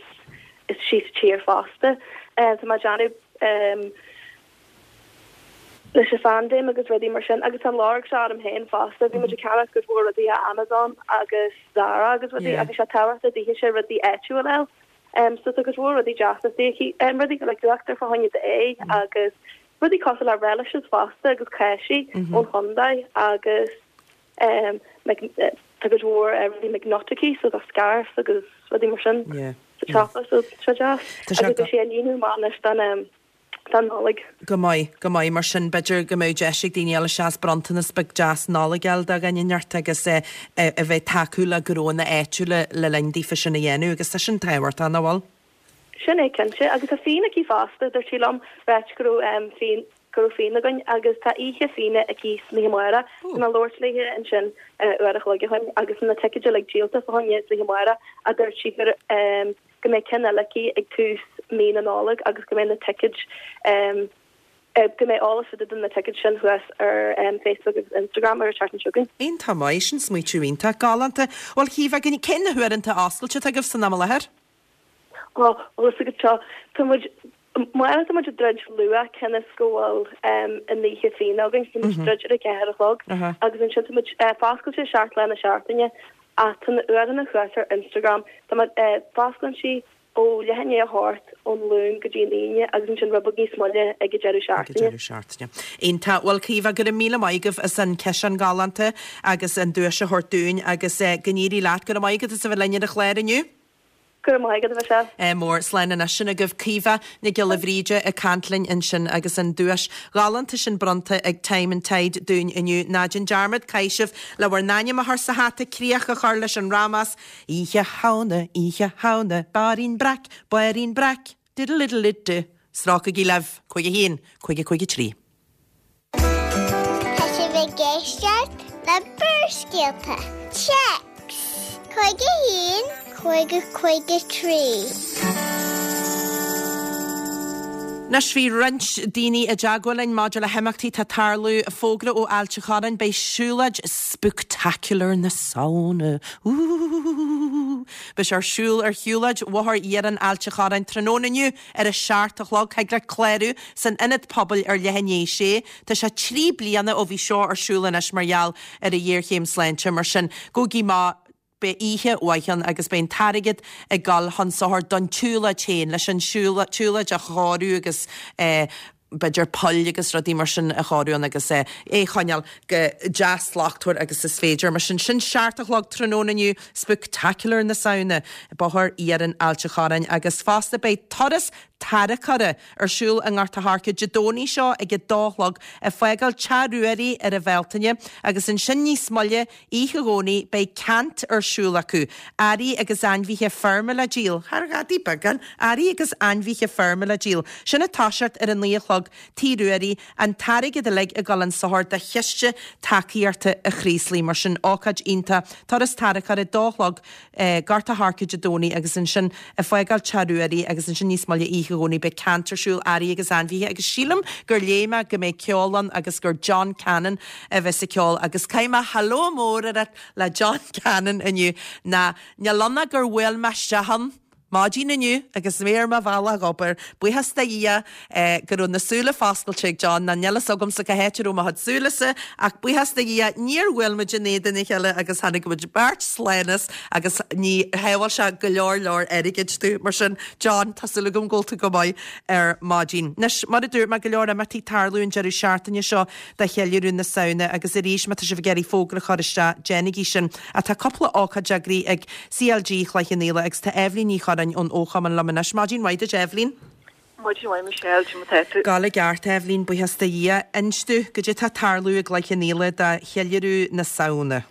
istigh sa tír fosta. Tá mé ag déanamh leis an phaindéim agus rudaí mar sin agus tá an lorg seo orm féin fosta. Bhí muid ag ceannach cuid mhór rudaí ó Amazon agus Zara agus rudaí agus sé tábhachtach daoithe rudaí áitiúil a fháil. Um, so tá cuid mhór rudaí deasa aici, um, rudaí like uachtar fá choinne d'aghaidh agus rudaí cosúil le relishes fosta agus cáisí ón chontae agus um, like, tá cuid mhór uh, rudaí McNutt aici so tá scarves agus rudaí mar sin sa tsiopa so tá sé deas. Agus tá sé ag líonadh amach anois don um, don Nollaig. Go maith, go maith. Mar sin, b'fhéidir go mbeadh deis ag daoine eile seans bronntanas beag deas Nollag a fháil do dhuine inteacht agus a bheith ag tacú le gnóanna áitiúla le linn daofa sin a dhéanamh agus tá sin tábhachtach, nach bhfuil? Sin é cinnte. Agus tá fíon aici fosta, dúirt sí liom, ráit go raibh fíon, go raibh fíon againn agus tá oíche fíona aici san oíche amárach. Bhí mé ag labhairt léi ansin uair a chloig ó shin agus na ticéid uilig díolta fá choinne san oíche amárach ach dúirt sí gur go mbeidh ceann eile aici ag tús mí na Nollag agus go mbeidh na ticéid go mbeidh eolas fá dtaobh de na ticéid sin thuas ar Facebook agus Instagram ar an tseachtain seo chugainn. Iontach maith, sin smaoitiú iontach galánta. Bhuel, Caoimhe, cé na huaireanta oscailte atá agaibh san am i láthair? Ó, bhfuil fhios agat seo, tá muid, amárach tá muid ag druid luath cionn is go bhfuil an oíche fíona againn, tá muid ag druid ar a ceathair a chlog agus ansin tá muid foscailte 7 lá na seachtaine Ach tá na uaireanna thuas ar Instagram. Tá muid, fosclaíonn sí ó leath i ndiaidh a hocht ón Luan go dtí an Aoine agus ansin rud beag níos moille ag an deireadh seachtaine. Ag an deireadh seachtaine. Iontach. Bhuel, Caoimhe, go raibh míle maith agaibh as an ciseán galánta agus an duais a thabhairt dúinn agus go n-éirí leat. Go raibh maith agat as a bheith linn ar an chlár inniu. Go raibh maith agat, a Mhichelle. Ádh mór. Slán anois. Sin agaibh Caoimhe Nic Giolla Bhríde ag caint linn ansin agus an duais ghalánta sin bronnta ag Time and Tide dúinn inniu. Ná déan dearmad, caithfidh sibh le bhur n-ainm a chur sa hata, críoch a chur leis an rámás, Oíche Shamhna, Oíche Shamhna, Bairín Breac, Bairín Breac, diddle-diddle-did-do. Strócaigí libh! 5 1, 5 5 3. Tá sibh ag éisteacht le Barrscéalta, Téacs 51 5 5 3. Anois bhí roinnt daoine i dteagmháil linn maidir le himeachtaí atá ag tarlú. Fógra ó Ailt an Chorráin, beidh siúlóid spooktacular na Samhna, ooh! Beidh sé ar siúl ar shiúlóid Bhóthar Iarainn Ailt an Chorráin tráthnóna inniu Ar a seacht a chlog, thig leat clárú san Ionad Pobail ar leath i ndiaidh a sé. Tá sé 3 bliana ó bhí seo ar siúl anois mar gheall ar an ghéarchéim sláinte, mar sin gabhaigí amach, beidh oíche mhaith ann agus beidh an t-airgead ag dul chun sochair don tsiúlóid féin, leis an tsiúlóid a chóiriú agus b'fhéidir poill agus rudaí mar sin a chóiriú ann agus é a choinneáil chomh deas slachtmhar agus is féidir. Mar sin, sin seacht a chlog tráthnóna inniu, Spooktacular na Samhna, Bóthar Iarainn Ailt an Chorráin agus fosta beidh turas tarracóra ar siúl i nGort a' Choirce Dé Domhnaigh seo ag a dó a chlog ag fágáil Teach Ruairí ar an Bhealtaine agus ansin níos moille Oíche Dhomhnaigh beidh ceant ar siúl acu, earraí agus ainmhithe feirme le díol. Thar ghadaí beagán, earraí agus ainmhithe feirme le díol. Sin ag toiseacht ar a naoi a chlog, Tigh Ruairí, an t-airgead uilig ag dul chun sochair do Chiste Tacaíochta an Chraoslaigh. Mar sin, ócáid iontach, turas tarracóra, dó a chlog, Gort a' Choirce Dé Domhnaigh agus ansin ag fágáil Teach Ruairí agus ansin níos moille oíche Dhomhnaigh beidh ceant ar siúl, earraí agus ainmhithe agus sílim gur léigh mé go mbeidh ceol ann agus gur John Cannon a bheas ag ceol agus caithfidh mé hello mór a rá le John Cannon inniu ná níl ann ach gur bhuail mé isteach ann. Maidin inniu agus mé ar mo bhealach ag obair, buíochas do Dhia go raibh na súile foscailte ag John, ná níl fhios agamsa cá háit a raibh mo chuid súilese, ach buíochas do Dhia níor bhuail muid in éadan a chéile agus tháinig muid beirt slán as agus ní shábháil sé go leor leor airgid domh. Mar sin, John, tá súil agam go bhfuil tú go maith ar maidin. Anois, mar a dúirt mé, go leor imeachtaí ag tarlú an deireadh seachtaine seo do cheiliúradh na Samhna agus arís má tá sibh ag iarraidh fógra a chur isteach, déanaigí sin. Ach tá cúpla ócáid eagraithe ag CLG Chloich Cheann Fhaola agus tá Eibhlín Ní Churráin ón fhochumann liom anois. Maidin mhaith duit Eibhlín. Maidin mhaith Michelle, cad é mar atá tú? Ag gabháil i gceart Eibhlín, buíochas do Dhia. Inis domh, goidé tá ag tarlú i gCloich Cheann Fhaola do cheiliúradh na Samhna?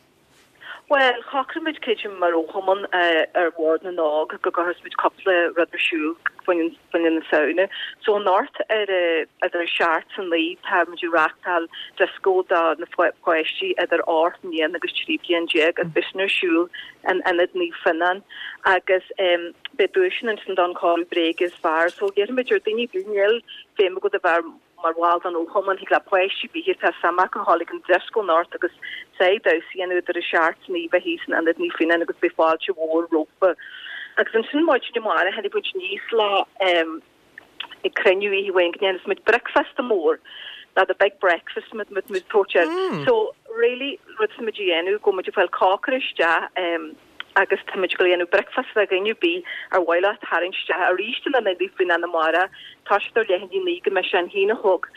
Bhuel, shocraigh muid creidim mar fhochumann ar Bhord na nÓg go gcuirfeas muid cúpla rud ar siúl fá choinne na Samhna. So anocht ar idir a seacht 's a naoi tá muid ag reachtáil dioscó do na páistí idir 8 mbliana agus 13 bliain agus beidh sin ar siúl in Ionad Naomh Fionnán agus beidh duaiseanna ansin don chóiriú bréige is fearr. So iarraimid ar daoine níl feidhm agat a bheith mar bhall den fhochumann, thig le páistí ar bith atá suim acu a ghabháil ag an dioscó anocht agus saghas damhsa a dhéanamh idir a seacht 's a naoi bheith thíos in Ionad Naomh Fionnán agus beidh fáilte mhór rompu. Agus ansin maidin amárach tháinig muid aníos le ag cruinniú oíche amháin go ndéanfas muid bricfeasta mór, nó the big breakfast muid muid ag tabhairt air. So really rud atá muid a dhéanamh go bhfuil muid ag fáil cócaire isteach agus tá muid ag dul a dhéanamh bricfeasta do dhuine ar bith ar mhaith leo tarraingt isteach arís in Ionad Naomh Fionnán amárach, toiseacht ar leath i ndiaidh a naoi go mbeidh sé an haon a chlog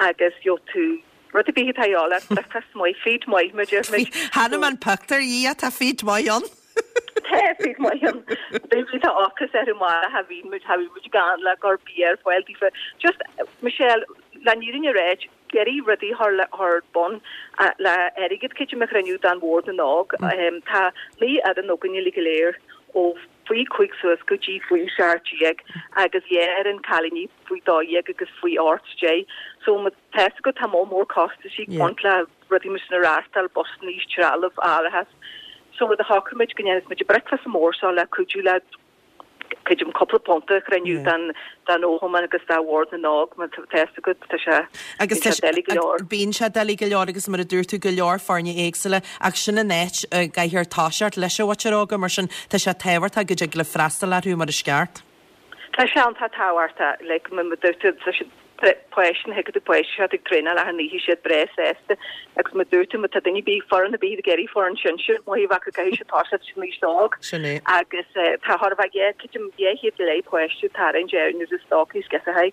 agus gheobhaidh tú rud ar bith atá a dhíobháil ort, bricfeasta maith, feed maith mar a deir muid. Chonaic mé an pictiúr, yeah, tá feed maith ann. Tá feed maith ann. Bhí tá ocras orthu amárach, cha bhíonn muid, cha bhíonn muid gann le gur bia ar fáil daofa. Just, Michelle, le an fhírinne a ráit, ag iarraidh rudaí a chur ar bun le airgead creidim a chruinniú don Bhord na nÓg. Tá 9 fhoireann againn uilig go léir ó faoi 5 suas go dtí faoi 17 agus 2 fhoireann cailíní faoi 12 agus faoi 18. So má tá fhios agat tá moll mór costaisí ag baint le rudaí mar sin a reáchtáil, busannaí, trealamh, árachas. So rud a shocraigh muid go ndéanfas muid an bricfeasta mór seo le cuidiú le creidim cúpla punt a chruinniú don fhochumann agus do Bhord na nÓg, má tá fhios agat, tá sé, Agus bíonn sé doiligh go leor. Bíonn sé doiligh go leor agus mar a dúirt tú, go leor foirne éagsúla ach sin an áit a gcaithfear toiseacht leis an mhuintir óga, mar sin tá sé tábhachtach go dtig libh freastal orthu mar is ceart. Tá sé iontach tábhachtach, like, mar a dúirt tú, tá siad páistí, na thuigeann tú páistí seo ag traenáil achan oíche siad breá sásta agus mar a dúirt tú má tá duine ar bith foireann ar bith ag iarraidh foireann sinsir maith a bheith acu caithfidh siad toiseacht san aois óg Sin é. agus tá chóir a bheith yeah creidim 200 go leith páiste tarraingt ar nuair is dócha is geasa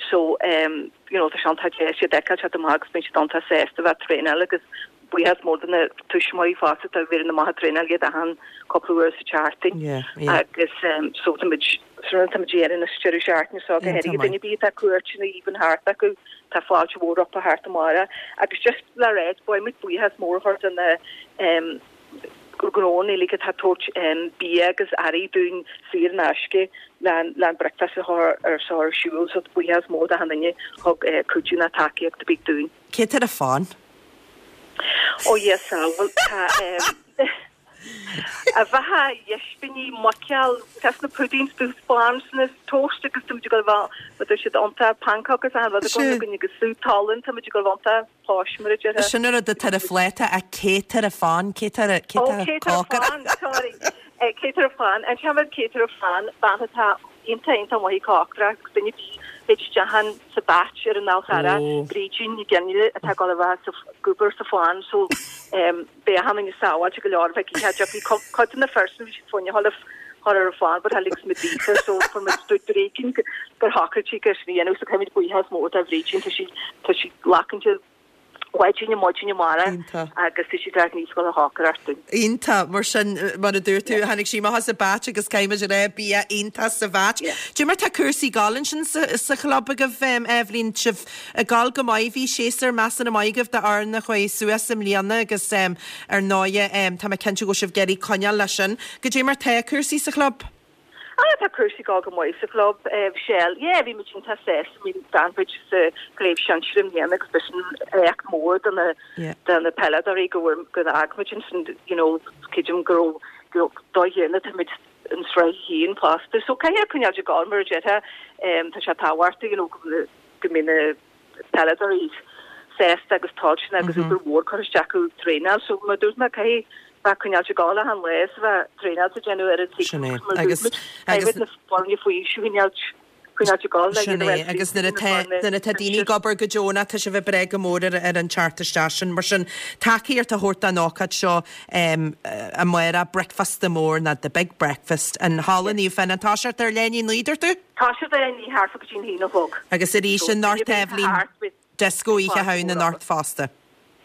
so you know tá sé iontach deas iad a fheiceáil teacht amach agus bíonn siad iontach sásta bheith ag traenáil agus Buíochas mór do na tuismitheoirí fosta atá ag bheith amach ag traenáil iad achan cúpla uair sa tseachtain agus so tá muid sin tá muid ag déanamh an deireadh seachtaine seo go háirithe duine ar bith atá cuairteanna even thart acu tá fáilte mhór rompu thart amárach agus just le rá beidh muid buíochas mór a chur do na gnóanna uilig atá ag tabhairt bia agus earraí dúinn saor in aisce le an bricfeasta a chur ar seo ar siúl so buíochas mór d'achan duine thug cuidiú ná tacaíocht ar bith dúinn. Cé tá ar an fán? Ó Dhia sábháil, tá a bheatha ispíní, muiceoil, tá sna puddings, dubh sponge, toast agus tá muid ag dul a bheith, mar tá siad iontach, pancock agus achan rud againn againn agus súp álainn, tá muid ag dul a bheith iontach posh mar a déarfá. Sin an rud atá ar an phláta ach cé tá ar an fán, cé tá ar a, cé tá cé tá ar an fán, sorry. Cé tá ar an fán, an seanbhean cé tá ar an fán, bean atá iontach iontach maith ag cócaireacht agus duine ar bith théid isteach ann sa Batch ar an Fhál Charrach, Brídín Ní Ghionnaile atá ag dul a bheith sa ag obair sa phan so beidh achan duine sábháilte go leor bheith ag ithe tiocfaidh cuid de na fir sin bhí siad fá choinne a chur ar an phan but tháinig muid daofa so fuair muid dúirt Brídín gur shocraigh sí gur sin a dhéanamh so caithfimid buíochas mór do Bhrídín tá sí tá sí glacann Mhaidin maidin amárach agus tá siad ar níos go chócaireacht dúinn. Iontach, mar sin, mar a dúirt tú, tháinig sí amach as an Batch agus caithfimid a rá, bia iontach sa Bhatch. Cad é mar tá cúrsaí ag gabháil ansin sa chlub agaibh, Eibhlín, sibh ag gabháil go maith, bhí séasúr measartha maith agaibh d'fhoireann a chuaigh suas i mbliana agus ar ndóighe tá mé cinnte go bhfuil sibh ag iarraidh coinneáil leis sin. Cad é mar tá cúrsaí sa chlub? Ah, tá cúrsaí ag gabháil go maith sa chlub, Michelle. Yeah, bhí muid iontach sásta, I mean, d'fhan muid sa chraobh shinsir i mbliana agus b'shin éacht mór do na do na peileadóirí go bhfuair go bhfág muid ansin, you know, creidim go raibh go dóigh chéanna tá muid in sraith a haon fosta. So caithfidh coinneáil ag gabháil mar a déarfá, tá sé tábhachtach, you know, go go mbeidh na peileadóirí sásta agus toilteanach agus obair mhór curtha isteach acu traenáil. So mar a dúirt mé, caithfidh. Bheith coinneáilt ag gabháil achan lá is a bheith traenáil ag déanamh ar an saol. Sin é. Mar a Agus, dúirt muid, agus. caithfidh na foirne faoi aois a choinneáilt, coinneáilt ag gabháil le Sin iad a é. bheith Agus nuair na atá, foirne nuair atá daoine ag sinsir. obair go deonach, tá sé a bheith breá go mór ar, ar an teacht isteach sin. Mar sin, tacaíocht a thabhairt don ócáid seo, em, amárach, bricfeasta mór nó The Big Breakfast in Halla Naomh Fionnán. Toiseacht ar leath i ndiaidh a 9, dúirt tú? Toiseacht ar leath i ndiaidh thart fá go dtí an haon a chlog. Agus arís So, duine anocht, ar bith atá Eibhlín, thart, beidh Disco Oíche fáilte Shamhna mhór anocht acu. fosta.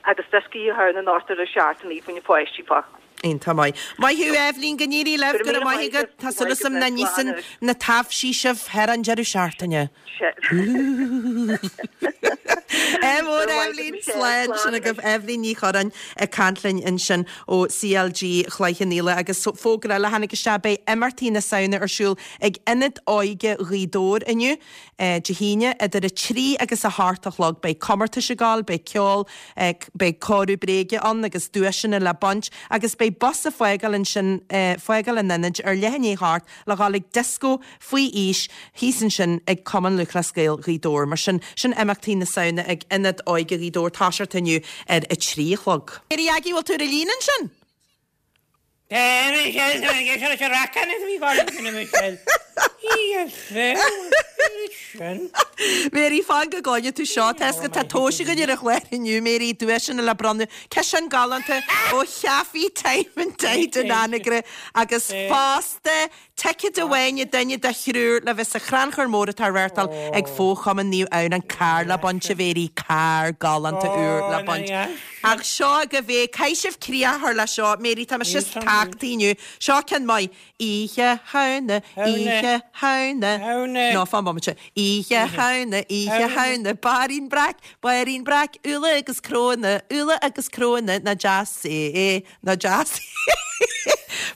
Agus dioscó Oíche Shamhna anocht ar a seacht a naoi faoi na pháistí fá. Iontach maith. Maith thú Eibhlín, go n-éirí libh, Go go raibh raibh míle maith maith agat. agat. Tá súil Maith agam agat, nach n-íosann slán anois. na taibhsí sibh thar an deireadh seachtaine. Ádh Go mór raibh maith agat Eibhlín, Michelle, slán slán sin agaibh anois. Eibhlín Ní Churráin ag caint linn ansin ó CLG Chloich Cheann Fhaola agus fógra eile a tháinig isteach beidh imeachtaí na Samhna ar siúl ag Ionad Óige Ghaoth Dobhair inniu. Dé hAoine, idir 3 agus 8 a chlog. Beidh comórtais ag gabháil, beidh ceol, beidh comhaireamh bréige ann agus duaiseanna le baint agus beidh bus ag fágáil ansin, fágáil an ionaid ar leath i ndiaidh a hocht le dhul ag dioscó faoi aois thíos ansin ag Cumann Lúthchleas Gael Ghaoth Dobhair. Mar sin, sin imeachtaí na Samhna ag Ionad Óige Ghaoth Dobhair, toiseacht inniu ar 3 a chlog. Mary Aggie, bhfuil tú ar an líne ansin? Mary, fan go gcluine tú seo. Tá 'fhios agat, tá tomhais againn ar an chlár inniu, Mary, duaiseanna le bronnadh, ciseán galánta ó Chaifé Time and Tide in Anagaire agus fosta Ticéad amháin ag duine de thriúr le bheith sa chrannchur mór atá á reáchtáil ag Fo-Chumann Naomh Adhamhnáin. Carr le baint, a Mhéirí, carr galánta úr le baint. Ach seo agaibh é, caithfidh sibh críoch a chur leis seo. Mary, tá mise tagtha inniu. Seo ceann maith. Oíche Shamhna, Oíche Shamhna. No, fan bomaite. Oíche Shamhna, Oíche Shamhna, Bairín breac, bairín breac, úlla agus cnónna, úlla agus cnónna, nach deas é. Nach deas.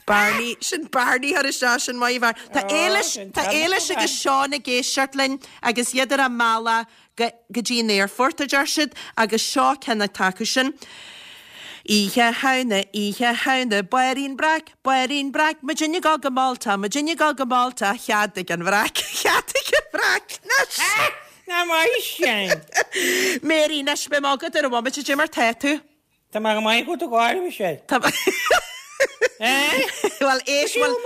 Barney, sin Barney thar isteach sin maith a bhfear. Tá Éilis, tá Éilis agus Seán ag éisteacht linn agus iad ar a mbealach go, go dtí an aerfort, a deir siad, agus seo ceann atá acu sin. Oíche Shamhna, Oíche Shamhna, Bairín breac, bairín breac, muidinne ag dul go Malta, muidinne ag dul go Malta, cheadaigh an bhreac, cheadaigh an bhreac, anois! Nach maith sin! Mary, anois, beidh mé agat ar an bhomaite, cad é mar tá tú? Tá mé go maith agat a gháire, Michelle. Tá Bhuel, éist, bhfuil,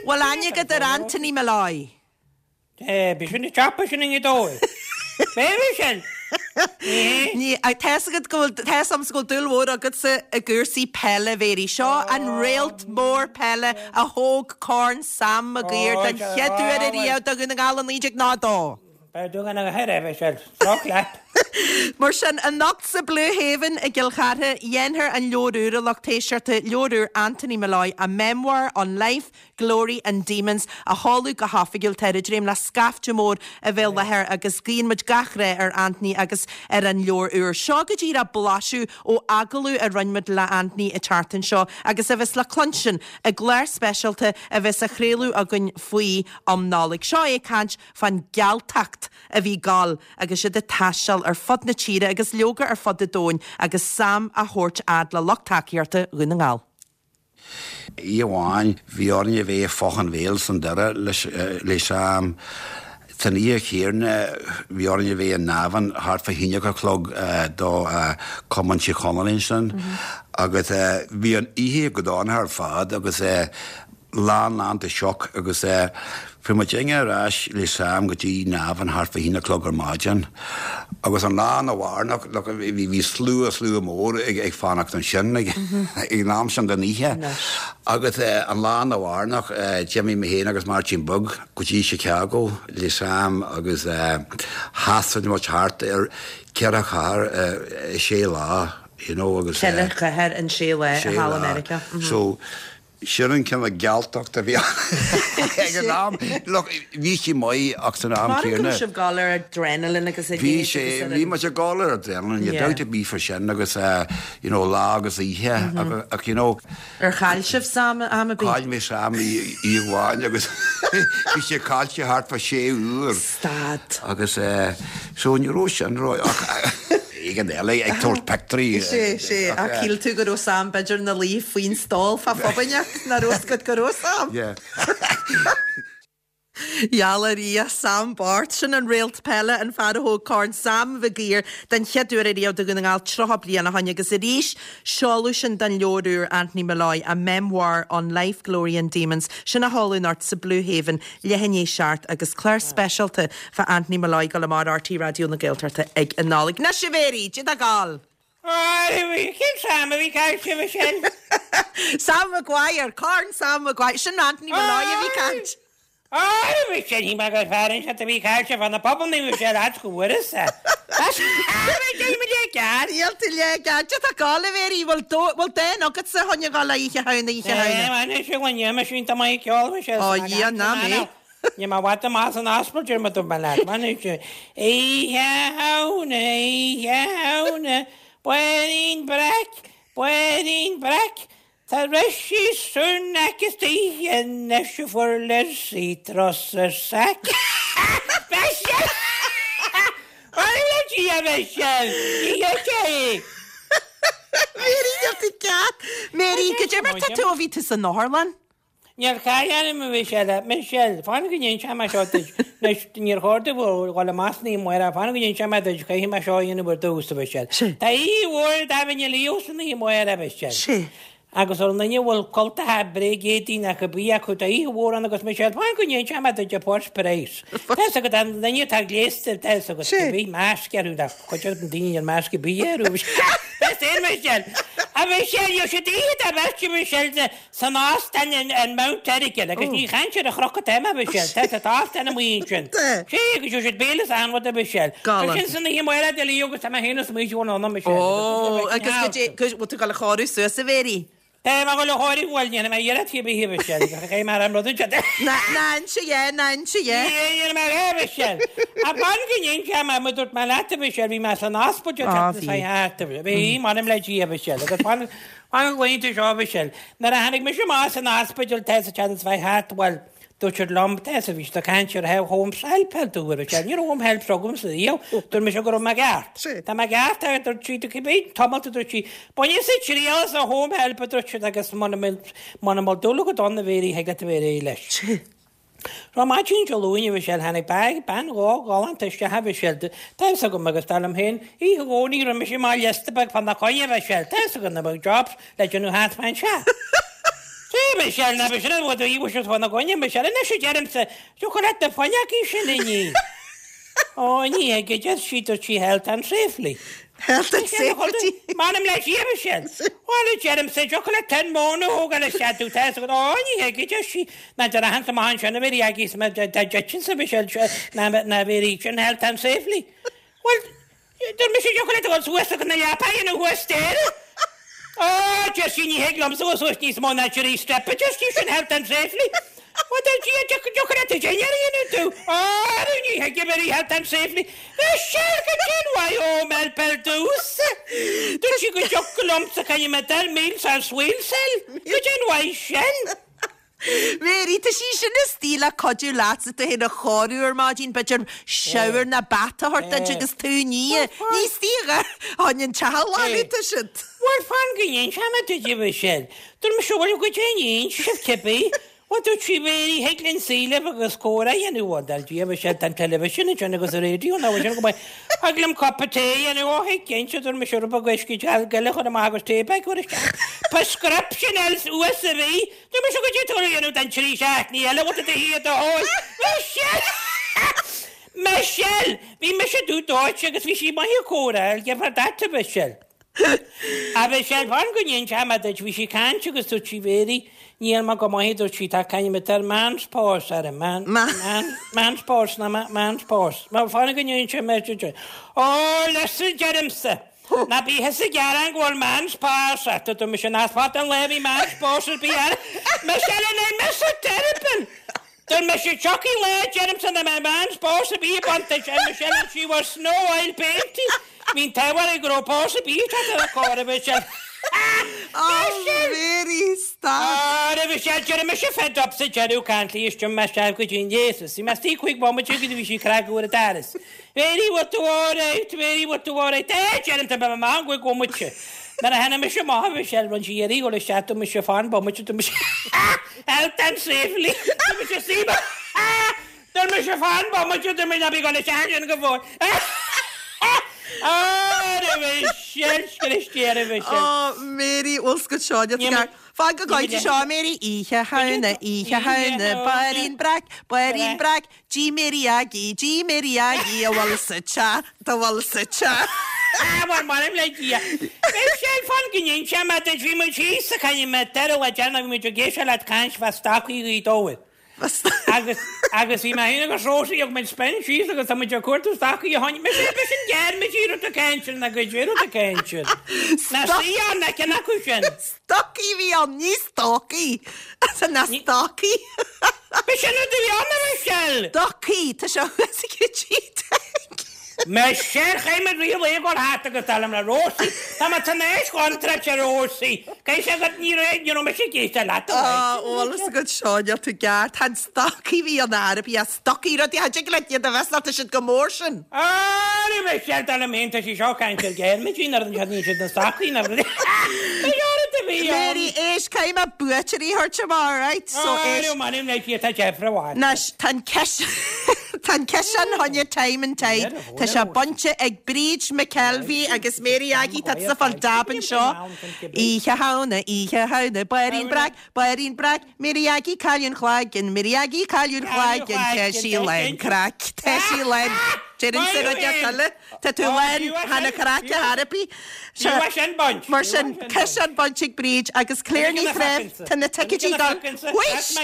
bhfuil aithne agat ar Anthony Molloy? Eh, b'shin an chap sin i nGaoth Dobhair. B'é Michelle? Ní, tá fhios agat go bhfuil, tá fhios agamsa go bhfuil dúil mhór agatsa i gcúrsaí peile, Mhéirí. Seo an réalt mór peile a thóg Corn Sam Maguire den chéad uair ariamh do Dhún na nGall i 1902. Beidh tú gan a haire, Michelle. Droch leat. Mar sin, anocht sa Blue Haven i gCill Chartha, dhéanfar an leabhar úr a lucht éisteachta, leabhar úr Anthony Molloy, A Memoir on Life, Glory and Demons, a sheoladh go hoifigiúil. Táthar ag dréim le scaifte mór a bheith i láthair agus guíonn muid gach rath ar Anthony agus ar an leabhar úr. Seo go díreach blaiseadh ó agallamh a rinne muid le Anthony an tseachtain seo agus a bheas le cluinstin i gclár speisialta a bheas á chraoladh againn faoi um Nollaig. Seo é ag caint fán ghealtacht a bhí ag gabháil agus iad ag taisteal ar fud na tíre agus leoga ar fud an domhain agus Sam á thabhairt fhad le lucht tacaíochta Dhún na nGall. Oíche amháin bhí orainn a bheith i Foth an Bhéil san deireadh le Sam. San oíche chéanna bhí orainn a bheith i nDamhain thart fá haon a chlog do Cumann Tír Chonaill ansin agus bhí an oíche go dona ar fad agus lán lán de shoc agus fuair muidinne ar ais le Sam go dtí Navan thart fá haon a chlog ar maidin agus an lá arna mhárnach look bhí bhí slua slua mór ag ag fanacht ansin ag ag an am sin den oíche agus an lá arna mhárnach d'imigh mé féin agus Máirtín Beag go dtí Chicago le Sam agus thaistil muid thart ar cheithre chathair i sé lá you know agus Ceithre chathair in sé lá sé thall i lá Meiriceá. so Sin an cineál gealtacht a bhí ag an am. Look, bhí sí maith ach san am Mar go céanna. raibh sibh ag gabháil ar adrenaline agus a Bhí leithéid sé, agus ar bhí an. muid ag gabháil ar adrenaline, Yeah. dabht ar bith fá sin agus you know lá agus oíche ach you know. Ar chaill sibh Sam am ar bith? Chaill mé Sam oíche amháin agus bhí sé caillte thart fá sé uair. Stad. Agus so ní raibh sin ró ach éigin eile ag tabhairt pictiúirí. Sé, sé, ach shíl tú go raibh Sam b'fhéidir ina luí faoin stól fá phub inteacht, nach raibh fhios agat go raibh Sam. Yeah. Gheall ar Dhia, Sam Bart, sin an réalt peile, an fear a thóg Corn Sam Mhig Uidhir den chéad uair ariamh do Dhún na nGall 30 bliain ó shoin agus arís seoladh sin den leabhar úr Anthony Molloy, A Memoir on Life, Glory and Demons, sin á sheoladh anocht sa Blue Haven leath i ndiaidh 7 agus clár speisialta fá Anthony Molloy ag dul amach ar RTÉ Raidió na Gaeltachta ag an Nollaig. Anois a Mhéirí, cad é atá ag gabháil? Cén Sam a bhí caillte, Michelle? Sam Maguire, Corn Sam Maguire, sin Anthony Molloy a bhí caint. Á, Michelle, shíl mé gur fear inteacht a bhí caillte fá na pubannaí, Michelle, ait go bhfuaireas-sa. Níl tú le ceart. Cad tá ag gabháil, a Mhéirí, bhfuil dán agatsa chun a ghabháil Oíche Shamhna, Oíche Shamhna? Anois, a dhuine, mise iontach maith ag ceol, Michelle. Ó, Dhia, ná mé. Níl mé i bhfad amach as an ospidéal, deir mé dúirt mé leat, man, Oíche Shamhna, Oíche Shamhna, bairín breac, bairín breac, tá Rishi Sunak istoíche anois a fuair Lizzie Truss a sack. Michelle! Mh'anam le Dia, Michelle! Ní hé é! Mary, níl tú ceart. Mary, goidé mar tá tú ó bhí tú san otharlann? Níor chaill orm a Mhichelle, Michelle, fan go n-inseoidh mé seo duit. Anois, níor chóir domh a dhul amach san oíche amárach, fan go n-inseoidh mé duit, caithfidh mé seo a dhéanamh ar dtús, a Mhichelle. Tá oíche mhór Dáimh na Leo san oíche amárach, a Mhichelle. Sea. Agus ar an duine a bhfuil cultacha bréagéadaí nó cibé acu, tá oíche mhór ann agus Michelle, fan go n-inseoidh mé duit an first prize. Tá fhios agat, an duine atá gléasta, tá fhios agat, cibé masc orthu, ná cuid de na daoine níl masc ar bith orthu, a Mhichelle. Tá fhios agat, Michelle. A Mhichelle, gheobhaidh siad oíche dá bheirt, a Mhichelle, San óstán in Mount Errigal, agus ní chaint ar an chnoc atá mé, a Mhichelle, tá tá óstán amuigh ansin. Sea, agus gheobhaidh siad béile is achan rud, a Mhichelle. Galánta. Sin san oíche amárach de Leo agus tá mé féin is Maois bhfuil ann, a Mhichelle. Ó, agus goidé, bhfuil tú ag dul a chóiriú suas, a Mhéirí? Tá mé ag dul a chóiriú, bhuel, ní dhéanfaidh mé iarracht cibé, a Mhichelle, agus chaithfidh mé an rud anseo. Ná, ná inse dhe, ná inse dhe. Ní dhéanfaidh mé a Mhichelle. Ach fan go n-inseoidh mé, mar dúirt mé leat, a Mhichelle, bhí mé san ospidéal Á, seachtain bhí. seo thart, a Mhichelle. Bhí, m'anam le Dia, a Mhichelle, agus fan, Fan go gcluin tú seo, a Mhichelle. Nuair a tháinig mise amach as an ospidéal tá sa tseachtain seo thart, bhuel, dúirt siad liom, tá a bhí siad ag caint ar home help help dúirt Michelle, ní raibh home help agamsa riamh, dúirt mise go raibh mé ceart. Tá mé ceart, a dúirt sí, cibé tamalt a dúirt sí, bainfidh triail as an home help a dúirt siad agus muna muna bhfuil dúil agat ann a Mhéirí thig leat a bheith réidh leis. Ar maidin Dé Luain, a Mhichelle, tháinig bean, bean ghalánta isteach, a Mhichelle, tá fhios agam agus dar liom féin, oíche Dhomhnaigh rinne mise amach liosta beag fá na coinne, a Mhichelle, tá fhios agam na bheadh jobs le déanamh thart fán teach. Sea, a Mhichelle, ná b'shin an rud a bhí siad fá na coinne, a Mhichelle, anois a deirimse, thiocfadh leat na fuinneogaí sin a ní. Ó, ní thig, a deir sí, dúirt sí health and safely. Health and safety. M'anam le Dia, a Mhichelle. Bhuel, a deirimse, thiocfadh leat tuin móna a thógáil isteach domh, tá fhios agat. Ó, ní thig, a deir sí. Ná deir achan amach ansin a bhí agaibh má dá dtitfinn a Mhichelle, ná bhí sin health and safely. Bhuel, deir mise, thiocfadh leat a dhul suas agus na leapa a dhéanamh thuas staighre. Ó, deir sí, ní thig liomsa dul suas níos mó ná trí step, a deir sí, sin health and safely. Bhuel, deir Dia, thiocfadh leat an dinnéar a dhéanamh domh. Ó, ní thig, a bhí health and safely. Michelle, goidé an mhaith home help ar dtús. Dúirt sí go dtiocfadh liomsa caithfidh mé dul meals ar swill cell. Goidé an mhaith sin. Mary, tá sí sin istigh le cuidiú leatsa tú féin a chóiriú ar maidin, b'fhéidir shower ná bath a thabhairt duit agus tú a ní. Ní istigh a tháinig an teach a ghlanadh tá siad. Bhuel, fan go n-inseoidh mé duit a Mhichelle. Dúirt mise, bhuel, goidé a níonn sibh cibé. Bhuel, dúirt sí, Mary, thig linn suí libh agus comhrá a dhéanamh. Bhuel, dar Dia, a Mhichelle, tá an television ansin agus an radio ná bhfuil sin go maith. Thig liom cupa tae a dhéanamh. Ó, thig cinnte, dúirt mise, rud beag uisce gile a chur amach agus tea bag a chur isteach. Prescription else uas a bhí. Dúirt mise goidé atá tú a dhéanamh don trí seachtainí eile, bhfuil tú i do shuí i do hól? Michelle! Michelle! Bhí mise dubh dóite agus bhí sí maith ag comhrá, I'll give her that, a Mhichelle. A Mhichelle, fan go n-inseoidh mé duit, bhí sí ag caint agus dúirt sí, Mary, níl mé go maith, dúirt sí, tá caint mit ar man's pause ar man, man, man's pause ná man's pause. Fan go n-inseoidh mé duit. Ó, listen, deirimse! Ná bí thusa ag gearán go bhfuil man's pause ort, a dúirt mise, nach fada an lá a bhí man's pause ar bith orm. Michelle, an I miss a terrible! Dúirt mise, tiocfaidh lá, deirimse, nach mbeidh man's pause ar bith ag baint duit, a Michelle, and she was snow oil painting. Bhí an t-ádh uirthi go raibh pause ar bith ag teacht ar a cor, a Mhichelle. Oh, Mary, stop! Ó, a Mhichelle, d'éirigh mise fed up sa deireadh, caint léi, is d'imigh mé isteach go dtí an leigheas. Bhí mé istigh 15 bomaite agus bhí sí ag cnagadh ar an doras. Mary, bhfuil tú alright? Mary, bhfuil tú alright? Eh, deirim, tá mé maith, an gcuig bhomaite. Nuair a tháinig mise amach, a Mhichelle, rinne sí iarraidh dhul isteach, dúirt mise, fan bomaite, dúirt mise, Health and safely, dúirt mise, suigh mé. Dúirt mise fan bomaite, dúirt mé ná bí ag dul isteach ansin go fóill. Ara Michelle, scríste ara Michelle. Ó, Mary, bhfuil 's agat seo, níl tú Fan go gcaillfidh seo, Mary, Oíche Shamhna, Oíche Shamhna, Bairín breac, bairín breac, D'ith Mary Aggie, d'ith Mary Aggie, a bhfuil sa teach, dá bhfuil sa teach. Ah, bhuel, m'anam le Dia. Michelle, fan go n-inseoidh mé duit, bhí muid thíos sa chainnín mé deireadh le déanamh, bhí muid ag éisteacht leat caint fá stocaí Ghaoth Dobhair. Agus, agus bhí mé féin agus Rosie thug muid spin síos agus tá muid ag cuartú stocaí a tháinig, mise, b'shin gearr-mhidí rud a caint na gcuid rud a caint. Na sí ann, na cinn acu sin. Stocaí a bhí ann, ní stocaí. Na stocaí. B'shin rud a bhí ann, a Michelle. Stocaí, tá sé thuas ag an G-Tech. Michelle, chaith muid riamh é ag dul thart agus dar liom le Rosie, tá mé tar éis chontráilte Rosie, caithfidh sé gur ní raibh, ní raibh mise ag éisteacht leat a Á, bhfuil fhios agat seo, níl tú ceart, chan stocaí a bhí ann arb ea, stocaí, rudaí a dtig leat iad a bheith tá siad chomh mór sin. Á, ní raibh mise, dar liom féin, tá sí seo ag caint ar ghearmaidí, nuair a níl siad na stocaí, na rudaí, rud a bhí ann. Mary, éist, caithfidh mé buaiteoirí a thabhairt amach, alright, so Á, éist. ní raibh mé ag tá deifre mhaith. Anois, tá an ceist. Tá an ciseán choinne Time and Tide, tá sé bainte ag Bríd McKelvey agus Mary Aggie, tá tusa ag fáil dab anseo. Oíche Shamhna, Oíche Shamhna, Bairín Breac, Bairín Breac, Mary Aggie, cailleadh an cloigeann, Mary Aggie, cailleadh an chloigeann, tá sí lán craic, tá sí lán, deireann rud eile. Tá tú lán, chan a chraic a therapy. Mar sin, ciseán bainte ag Bríd agus Claire Ní Threibh, tá na ticéidí ag dul. Wheesht! Sin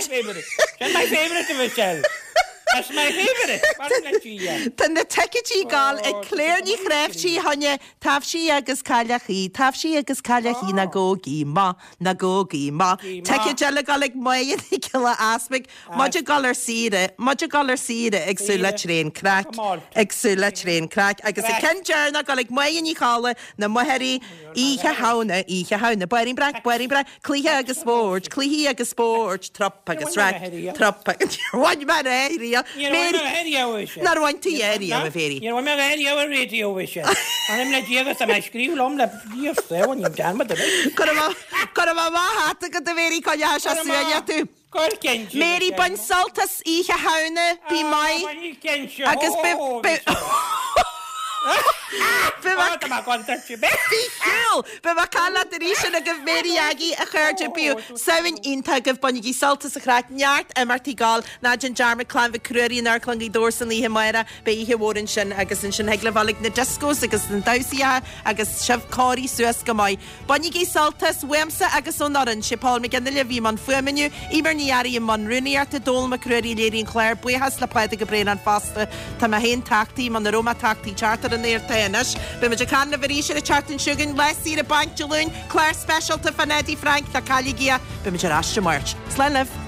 my favourite, a Mhichelle. That's my favourite. Tá na ticéidí ag dul ag Claire Ní Chreiftigh choinne taibhsí agus cailleachaí, taibhsí agus cailleachaí na gcógaí maith, na gcógaí maith. Ticéid eile ag dul ag Máire Nic Giolla Easmaig, Muid ag dul ar saoire, muid ag dul ar saoire ag súil le tréan craic, ag súil le tréan craic. Agus an ceann deireanach ag dul ag Máire Ní Cholla, na Machairí, Oíche Shamhna, Oíche Shamhna, Bairín breac, bairín breac, cluiche agus spóirt, cluichí agus spóirt, trup agus raic, trup agus, Níor bhain mé é riamh. Níor bhain mé é riamh, a Mhichelle. Nár bhain tú é riamh, a Mhéirí? Níor bhain mé é riamh ar raidió, a Mhichelle. M'anam le Dia agus tá mé ag scríobh liom le Dia saol, níl dearmad ar bith. Go raibh, go raibh maith agat, a Mhéirí, coinneoidh sé suaimhneach tú. Mary, bain sult as Oíche Shamhna, bí maith agus bí Bí Beidh mé ag caint leat arís sin agaibh Mary Aggie, a chairde, bíodh Samhain iontach agaibh, bainigí sult as an chraic, neart imeachtaí ag gabháil, ná déan dearmad Clann Mhic Ruairí in Amharclann Ghaoth Dobhair san oíche amárach, beidh oíche mhór ansin agus ansin thig libh dul ag na discos agus na damhsaíocha agus sibh cóirithe suas go maith. Bainigí sult as, uaimse agus ón fhoireann. Sé Paul McGinley a bhí i mbun fuaime inniu, Eimear Ní Fhearraigh i mbun rúnaíochta, Dónal Mac Ruairí a léirigh an clár, buíochas le Pádraig Ó Braonáin fosta. Tá mé féin tachtaí, muna raibh mé tachtaí teacht ar an aer tá anois. Beidh muid ag caint libh arís ar an tseachtain seo chugainn, lá saoire bainc Dé Luain, clár speisialta fán Eddie Frank, ná cailligí é. Beidh muid ar ais Dé Máirt. Slán libh.